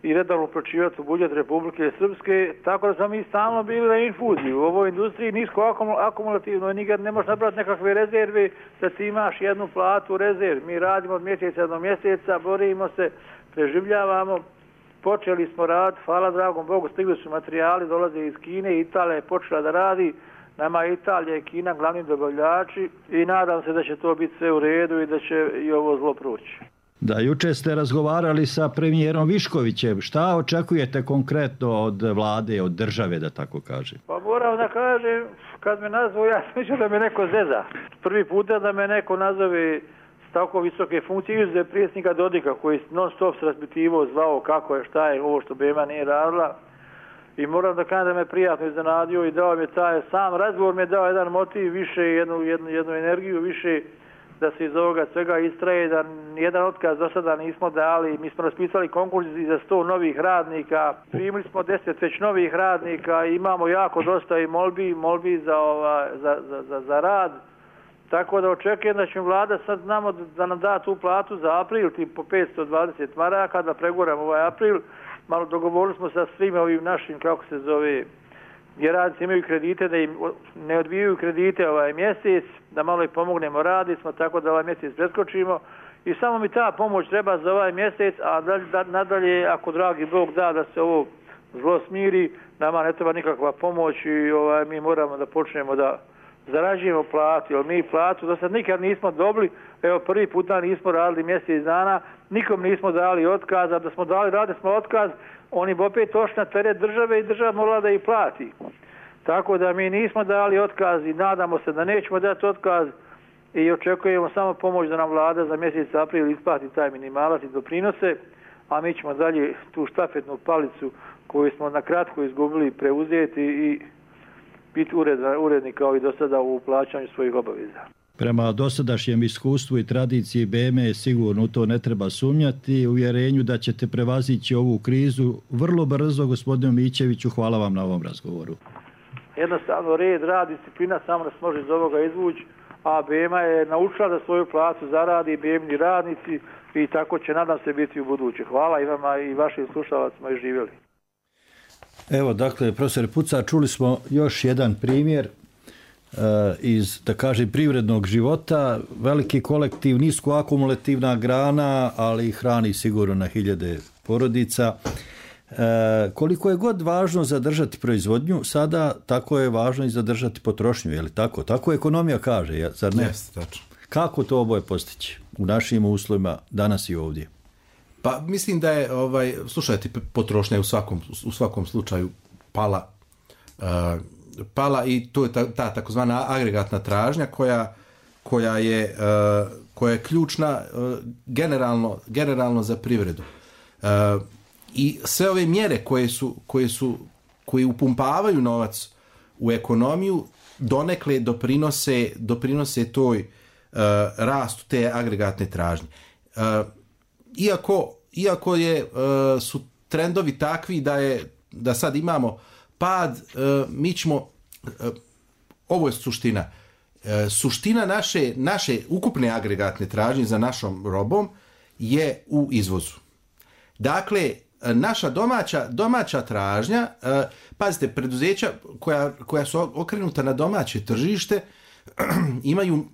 i redovno uplaćivati u budžet Republike Srpske, tako da smo mi stalno bili na infuziji. U ovoj industriji nisko akumulativno, nikad ne možeš napraviti nekakve rezerve da ti imaš jednu platu rezerv. Mi radimo od mjeseca do mjeseca, borimo se, preživljavamo. Počeli smo raditi, hvala dragom Bogu, stigli su materijali, dolaze iz Kine, Italija je počela da radi, nama Italija i Kina glavni dobavljači i nadam se da će to biti sve u redu i da će i ovo zlo proći. Da, juče ste razgovarali sa premijerom Viškovićem. Šta očekujete konkretno od vlade, od države, da tako kažem? Pa moram da kažem, kad me nazvao, ja sam mislio da me neko zeza. Prvi puta da me neko nazove s tako visoke funkcije, izuzev predsjednika Dodika, koji non stop se raspitivo zvao kako je, šta je, ovo što B M A nije radila. I moram da kažem da me prijatno iznenadio i dao mi taj sam razgovor, mi je dao jedan motiv, više jednu, jednu, jednu energiju, više da se iz ovoga svega istraje, da nijedan otkaz do sada nismo dali. Mi smo raspisali konkurs za sto novih radnika, primili smo deset već novih radnika, imamo jako dosta i molbi, molbi za, ova, za, za, za, za rad. Tako da očekujem da će vlada sad znamo da nam da tu platu za april, tim po petsto dvadeset maraka, da preguramo ovaj april. Malo dogovorili smo sa svim ovim našim, kako se zove, gdje radnici imaju kredite, da im ne odbijaju kredite ovaj mjesec, da malo i pomognemo, radi smo tako da ovaj mjesec preskočimo i samo mi ta pomoć treba za ovaj mjesec, a nadalje, ako dragi Bog da da se ovo zlo smiri, nama ne treba nikakva pomoć i ovaj, mi moramo da počnemo da zarađujemo platu, jer mi platu do sad nikad nismo dobili, evo prvi puta nismo radili mjesec dana, nikom nismo dali otkaz, a da smo dali, radili smo otkaz, oni bi opet došli na teret države i država morala da ih plati. Tako da mi nismo dali otkaz i nadamo se da nećemo dati otkaz i očekujemo samo pomoć da nam vlada za mjesec april isplati taj minimalac i doprinose, a mi ćemo dalje tu štafetnu palicu koju smo na kratko izgubili preuzeti i biti uredni kao i do sada u plaćanju svojih obaveza. Prema dosadašnjem iskustvu i tradiciji B M A sigurno u to ne treba sumnjati, uvjerenju da ćete prevazići ovu krizu vrlo brzo. Gospodinu Mićeviću, hvala vam na ovom razgovoru. Jednostavno red, rad, disciplina samo nas može iz ovoga izvući, a B M A je naučila da svoju platu zaradi B M A-ni radnici i tako će, nadam se, biti u buduće. Hvala i vama i vašim slušalacima i živjeli. Evo, dakle, profesor Puca, čuli smo još jedan primjer uh, iz, da kažem, privrednog života. Veliki kolektiv, nisko akumulativna grana, ali hrani sigurno na hiljade porodica. Uh, koliko je god važno zadržati proizvodnju, sada tako je važno i zadržati potrošnju, je li tako? Tako ekonomija kaže, zar ne? Jeste, tačno. Kako to oboje postići u našim uslovima danas i ovdje? Pa mislim da je, ovaj, slušajte, potrošnja je u svakom, u svakom slučaju pala, uh, pala i to je ta, ta takozvana agregatna tražnja koja, koja, je, uh, koja je ključna uh, generalno, generalno za privredu. Uh, I sve ove mjere koje su, koje su, koje upumpavaju novac u ekonomiju donekle doprinose, doprinose toj uh, rastu te agregatne tražnje. Uh, Iako, iako je, uh, su trendovi takvi da je da sad imamo pad, uh, mi ćemo, uh, ovo je suština, uh, suština naše, naše ukupne agregatne tražnje za našom robom je u izvozu. Dakle, naša domaća, domaća tražnja, uh, pazite, preduzeća koja, koja su okrenuta na domaće tržište imaju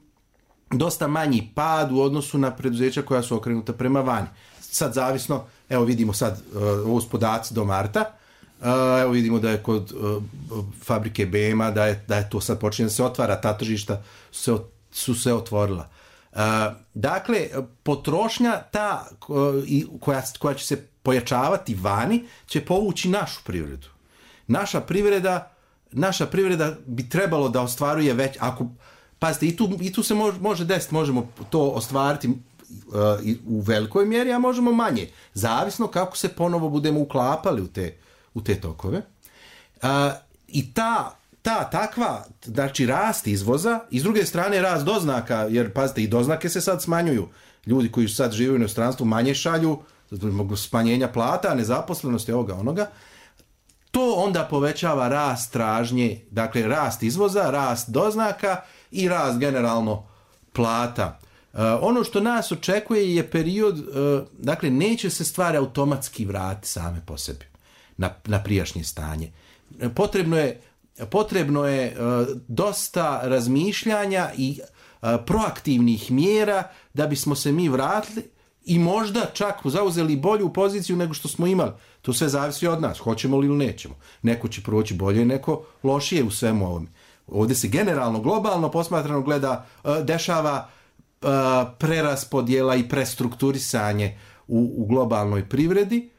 dosta manji pad u odnosu na preduzeća koja su okrenuta prema vani. Sad zavisno, evo vidimo sad uh, ovo podaci do marta, uh, evo vidimo da je kod uh, fabrike B M A, da je, da je to sad počinje da se otvara, ta tržišta su se, su se otvorila. Uh, dakle, potrošnja ta uh, koja, koja će se pojačavati vani, će povući našu privredu. Naša privreda naša privreda bi trebalo da ostvaruje već, ako, pazite, i tu, i tu se može, može desiti, možemo to ostvariti uh, u velikoj mjeri, a možemo manje, zavisno kako se ponovo budemo uklapali u te, u te tokove. Uh, I ta, ta takva, znači rast izvoza, i s druge strane rast doznaka, jer pazite, i doznake se sad smanjuju. Ljudi koji sad žive u inostranstvu manje šalju, zbog smanjenja plata, nezaposlenosti, ovoga, onoga. To onda povećava rast tražnje, dakle rast izvoza, rast doznaka i rast generalno plata. Uh, ono što nas očekuje je period, uh, dakle neće se stvari automatski vratiti same po sebi na, na prijašnje stanje. Potrebno je, potrebno je uh, dosta razmišljanja i uh, proaktivnih mjera da bismo se mi vratili i možda čak zauzeli bolju poziciju nego što smo imali. To sve zavisi od nas, hoćemo li ili nećemo. Neko će proći bolje, neko lošije u svemu ovome. Ovdje se generalno, globalno posmatrano gleda, dešava preraspodjela i prestrukturisanje u, u globalnoj privredi.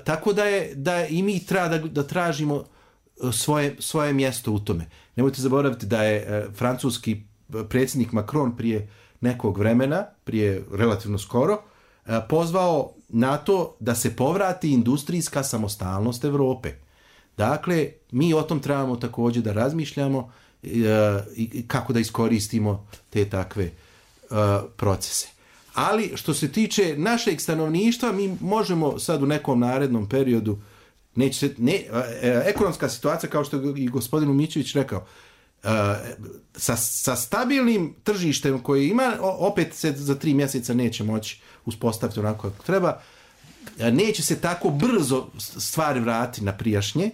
Tako da je, da je i mi treba da, da tražimo svoje, svoje mjesto u tome. Nemojte zaboraviti da je francuski predsjednik Macron prije nekog vremena, prije relativno skoro, pozvao na to da se povrati industrijska samostalnost Europe. Dakle, mi o tom trebamo također da razmišljamo i kako da iskoristimo te takve procese. Ali što se tiče našeg stanovništva, mi možemo sad u nekom narednom periodu, neće se, ne, ekonomska situacija, kao što je i gospodin Umićević rekao, Uh, sa, sa stabilnim tržištem koje ima, opet se za tri mjeseca neće moći uspostaviti onako kako treba, neće se tako brzo stvari vratiti na prijašnje,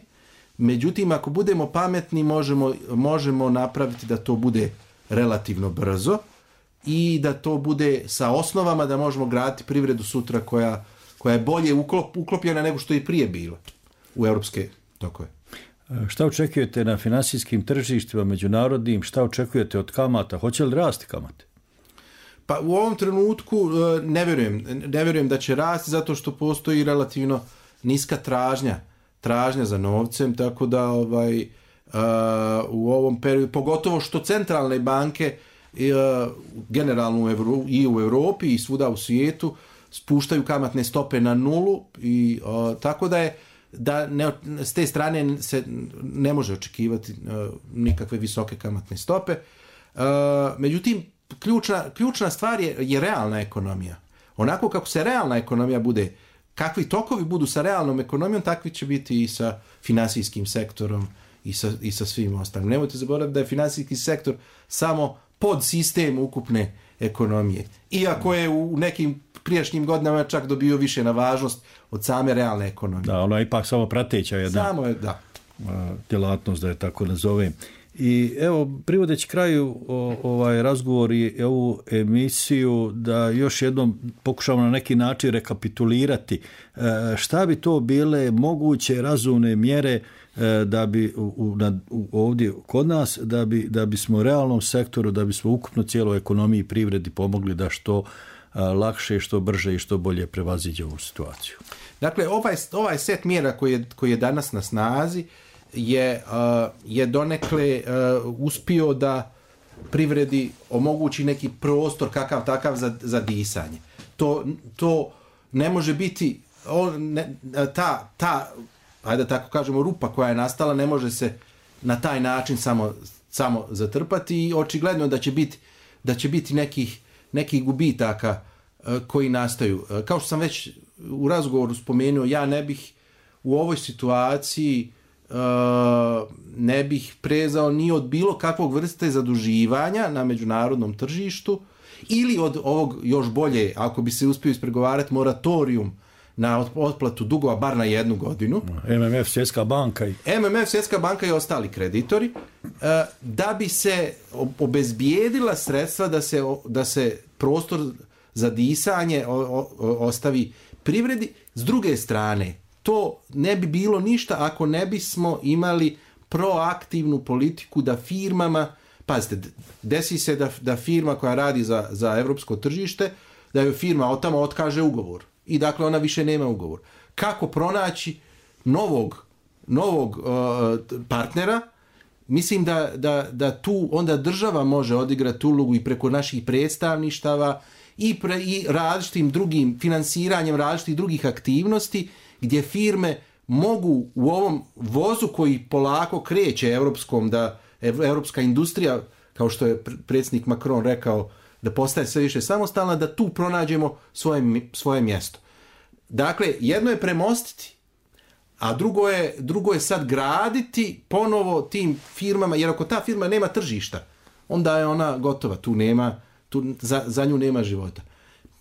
međutim ako budemo pametni možemo, možemo napraviti da to bude relativno brzo i da to bude sa osnovama da možemo graditi privredu sutra koja, koja je bolje uklop, uklopljena nego što je prije bila u europske tokove. Šta očekujete na finansijskim tržištima međunarodnim, šta očekujete od kamata, hoće li rasti kamate? Pa u ovom trenutku ne vjerujem, ne vjerujem da će rasti zato što postoji relativno niska tražnja, tražnja za novcem, tako da ovaj, uh, u ovom periodu, pogotovo što centralne banke uh, generalno u Evro, i u Europi i svuda u svijetu spuštaju kamatne stope na nulu i uh, tako da je da ne, s te strane se ne može očekivati uh, nikakve visoke kamatne stope. Uh, međutim, ključna, ključna stvar je, je realna ekonomija. Onako kako se realna ekonomija bude, kakvi tokovi budu sa realnom ekonomijom, takvi će biti i sa finansijskim sektorom i sa, i sa svim ostalim. Nemojte zaboraviti da je finansijski sektor samo podsistem ukupne ekonomije. Iako je u nekim prijašnjim godinama čak dobio više na važnost od same realne ekonomije. Da, ono je ipak samo prateća jedna samo je, da. djelatnost, da je tako nazovem. I evo, privodeći kraju o, ovaj razgovor i ovu emisiju, da još jednom pokušamo na neki način rekapitulirati e, šta bi to bile moguće razumne mjere e, da bi u, u, na, u, ovdje kod nas, da bi, da bismo realnom sektoru, da bismo ukupno cijeloj ekonomiji i privredi pomogli da što a, lakše, što brže i što bolje prevaziđe ovu situaciju. Dakle, ovaj, ovaj set mjera koji je, koji je danas na snazi je, uh, je donekle uh, uspio da privredi omogući neki prostor kakav takav za, za disanje. To, to ne može biti on, ne, ta, ta, ajde da tako kažemo, rupa koja je nastala ne može se na taj način samo, samo zatrpati i očigledno da će biti, da će biti nekih, nekih gubitaka uh, koji nastaju. Uh, kao što sam već u razgovoru spomenuo, ja ne bih u ovoj situaciji Uh, ne bih prezao ni od bilo kakvog vrste zaduživanja na međunarodnom tržištu ili od ovog još bolje, ako bi se uspio ispregovarati, moratorium na otplatu dugova bar na jednu godinu. M M F, Svjetska banka i... M M F, Svjetska banka i ostali kreditori, uh, da bi se obezbijedila sredstva da se, da se prostor za disanje o, o, ostavi privredi. S druge strane, to ne bi bilo ništa ako ne bismo imali proaktivnu politiku da firmama, pazite, desi se da, da firma koja radi za, za evropsko tržište, da joj firma od tamo otkaže ugovor i dakle ona više nema ugovor. Kako pronaći novog novog uh, partnera, mislim da, da, da tu onda država može odigrati ulogu i preko naših predstavništava i, pre, i različitim drugim finansiranjem različitih drugih aktivnosti gdje firme mogu u ovom vozu koji polako kreće europskom, da europska industrija, kao što je predsjednik Macron rekao, da postaje sve više samostalna, da tu pronađemo svoje, svoje mjesto. Dakle, jedno je premostiti, a drugo je, drugo je sad graditi ponovo tim firmama, jer ako ta firma nema tržišta, onda je ona gotova, tu nema, tu, za, za nju nema života.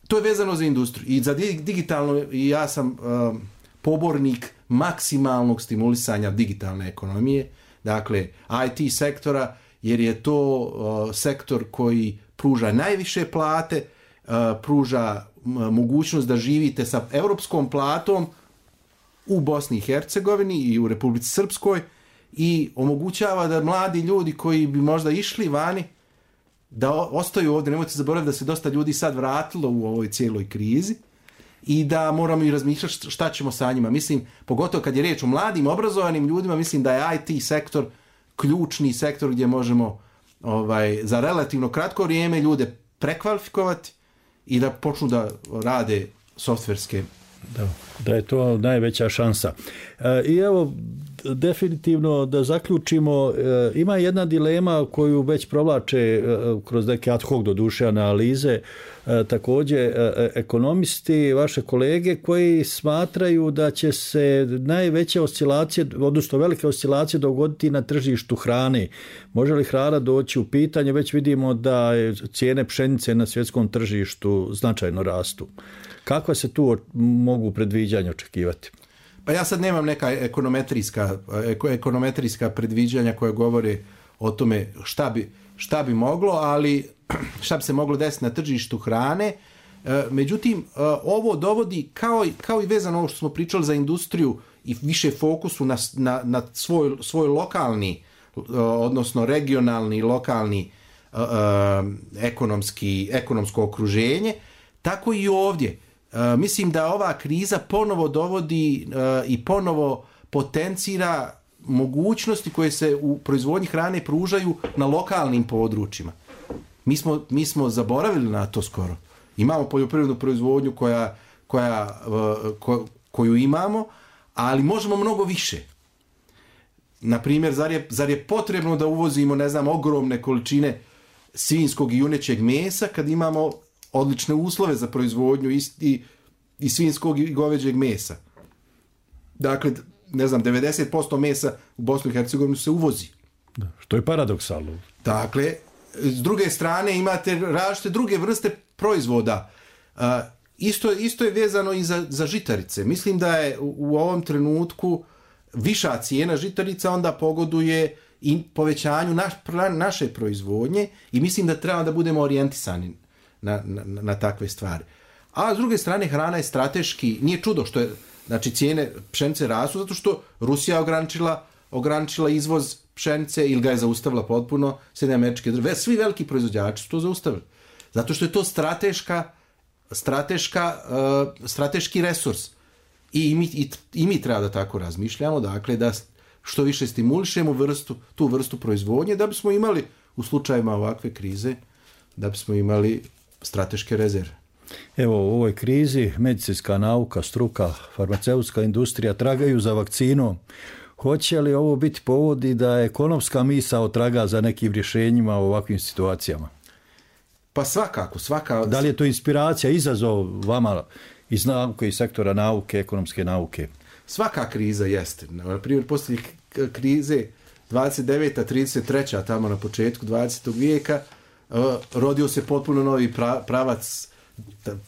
To je vezano za industriju. I za digitalno, i ja sam uh, pobornik maksimalnog stimulisanja digitalne ekonomije, dakle I T sektora, jer je to uh, sektor koji pruža najviše plate, uh, pruža uh, mogućnost da živite sa europskom platom u Bosni i Hercegovini i u Republici Srpskoj i omogućava da mladi ljudi koji bi možda išli vani da ostaju ovdje. Nemojte zaboraviti da se dosta ljudi sad vratilo u ovoj cijeloj krizi i da moramo i razmišljati šta ćemo sa njima. Mislim, pogotovo kad je riječ o mladim, obrazovanim ljudima, mislim da je I T sektor ključni sektor gdje možemo ovaj, za relativno kratko vrijeme ljude prekvalifikovati i da počnu da rade softverske. Da, da je to najveća šansa. E, I evo, definitivno da zaključimo, e, ima jedna dilema koju već provlače e, kroz neke ad hoc doduše analize, e, također e, ekonomisti, vaše kolege, koji smatraju da će se najveće oscilacije, odnosno velike oscilacije dogoditi na tržištu hrane. Može li hrana doći u pitanje? Već vidimo da cijene pšenice na svjetskom tržištu značajno rastu. Kakva se tu mogu predviđanja očekivati? Pa ja sad nemam neka ekonometrijska, ekonometrijska predviđanja koje govore o tome šta bi, šta bi moglo, ali šta bi se moglo desiti na tržištu hrane. Međutim, ovo dovodi, kao i, kao i vezano ovo što smo pričali za industriju i više fokusu na, na, na svoj, svoj lokalni, odnosno regionalni, lokalni ekonomski, ekonomsko okruženje, tako i ovdje. Uh, mislim da ova kriza ponovo dovodi uh, i ponovo potencira mogućnosti koje se u proizvodnji hrane pružaju na lokalnim područjima. Mi smo, mi smo zaboravili na to skoro. Imamo poljoprivrednu proizvodnju koja, koja, uh, ko, koju imamo, ali možemo mnogo više. Naprimjer, zar je, zar je potrebno da uvozimo, ne znam, ogromne količine svinjskog i junećeg mesa kad imamo odlične uslove za proizvodnju i, i svinjskog i goveđeg mesa. Dakle, ne znam, devedeset posto mesa u Bosnu i Hercegovini se uvozi. Da, što je paradoksalno. Dakle, s druge strane imate različite druge vrste proizvoda. Uh, isto, isto je vezano i za, za žitarice. Mislim da je u, u ovom trenutku viša cijena žitarica onda pogoduje i povećanju naš, naše proizvodnje i mislim da treba da budemo orijentisani Na, na, na takve stvari. A s druge strane, hrana je strateški, nije čudo što je, znači cijene pšenice rastu zato što Rusija ograničila, ograničila izvoz pšenice ili ga je zaustavila potpuno, Sjedinjene Američke Države, svi veliki proizvođači su to zaustavili. Zato što je to strateška, strateška, uh, strateški resurs. I mi, i, i mi treba da tako razmišljamo, dakle da što više stimulišemo vrstu, tu vrstu proizvodnje, da bismo imali u slučajima ovakve krize, da bismo imali strateške rezerve. Evo, u ovoj krizi medicinska nauka, struka, farmaceutska industrija tragaju za vakcinom. Hoće li ovo biti povodi da ekonomska misao traga za nekim rješenjima u ovakvim situacijama? Pa svakako, svaka... Da li je to inspiracija, izazov vama iz nauke, iz sektora nauke, ekonomske nauke? Svaka kriza jeste. Na primjer, poslije krize dvadeset deveta trideset treća tamo na početku dvadesetog vijeka, Uh, rodio se potpuno novi pra, pravac,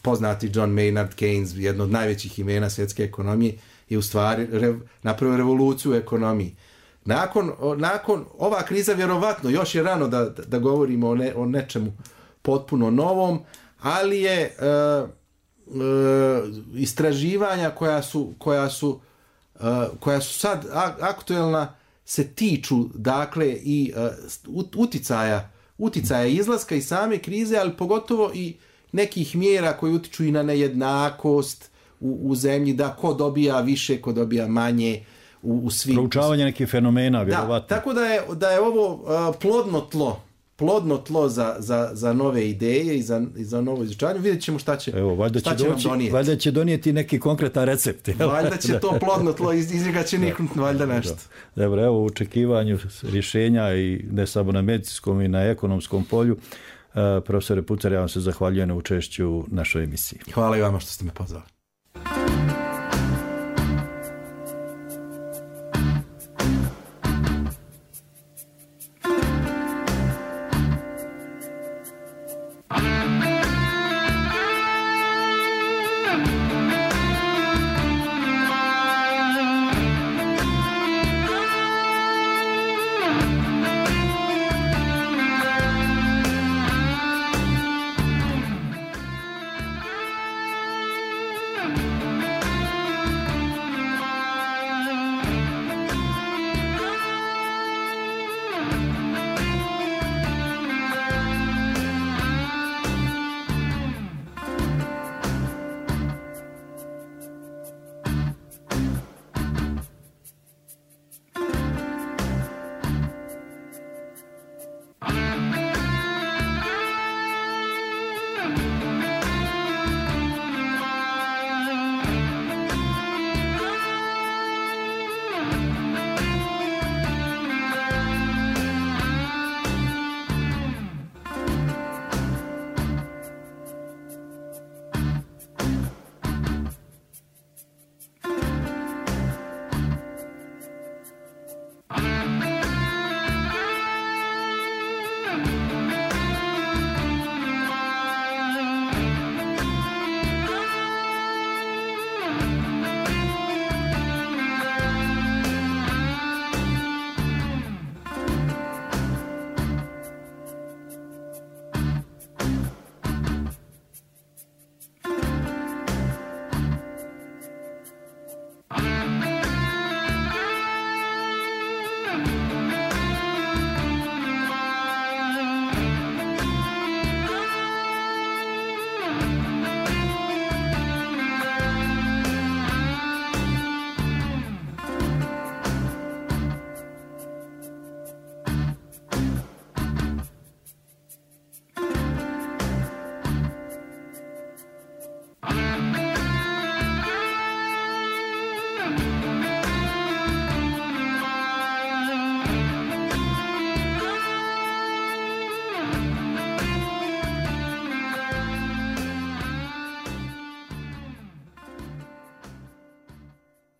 poznati John Maynard Keynes, jedno od najvećih imena svjetske ekonomije, je u stvari re, napravio revoluciju u ekonomiji. Nakon, o, nakon ova kriza, vjerovatno, još je rano da, da, da govorimo o, ne, o nečemu potpuno novom, ali je uh, uh, istraživanja koja su, koja su, uh, koja su sad aktuelna se tiču, dakle, i uh, uticaja uticaja izlaska i same krize, ali pogotovo i nekih mjera koji utiču i na nejednakost u, u zemlji, da ko dobija više, ko dobija manje, u, u svim... Proučavanje nekih fenomena, vjerovatno. Da, tako da je, da je ovo uh, plodno tlo, plodno tlo za, za, za nove ideje i za, i za novo izučavanje. Vidjet ćemo šta će, Evo, valjda šta će, će doći, nam donijeti. Valjda će donijeti neki konkretan recept. Valjda će to plodno tlo, iz, iz njega će niknuti valjda nešto. Dobro, evo u očekivanju rješenja i ne samo na medicinskom i na ekonomskom polju. Uh, profesore Pucar, ja vam se zahvaljujem na učešću u našoj emisiji. Hvala i vama što ste me pozvali.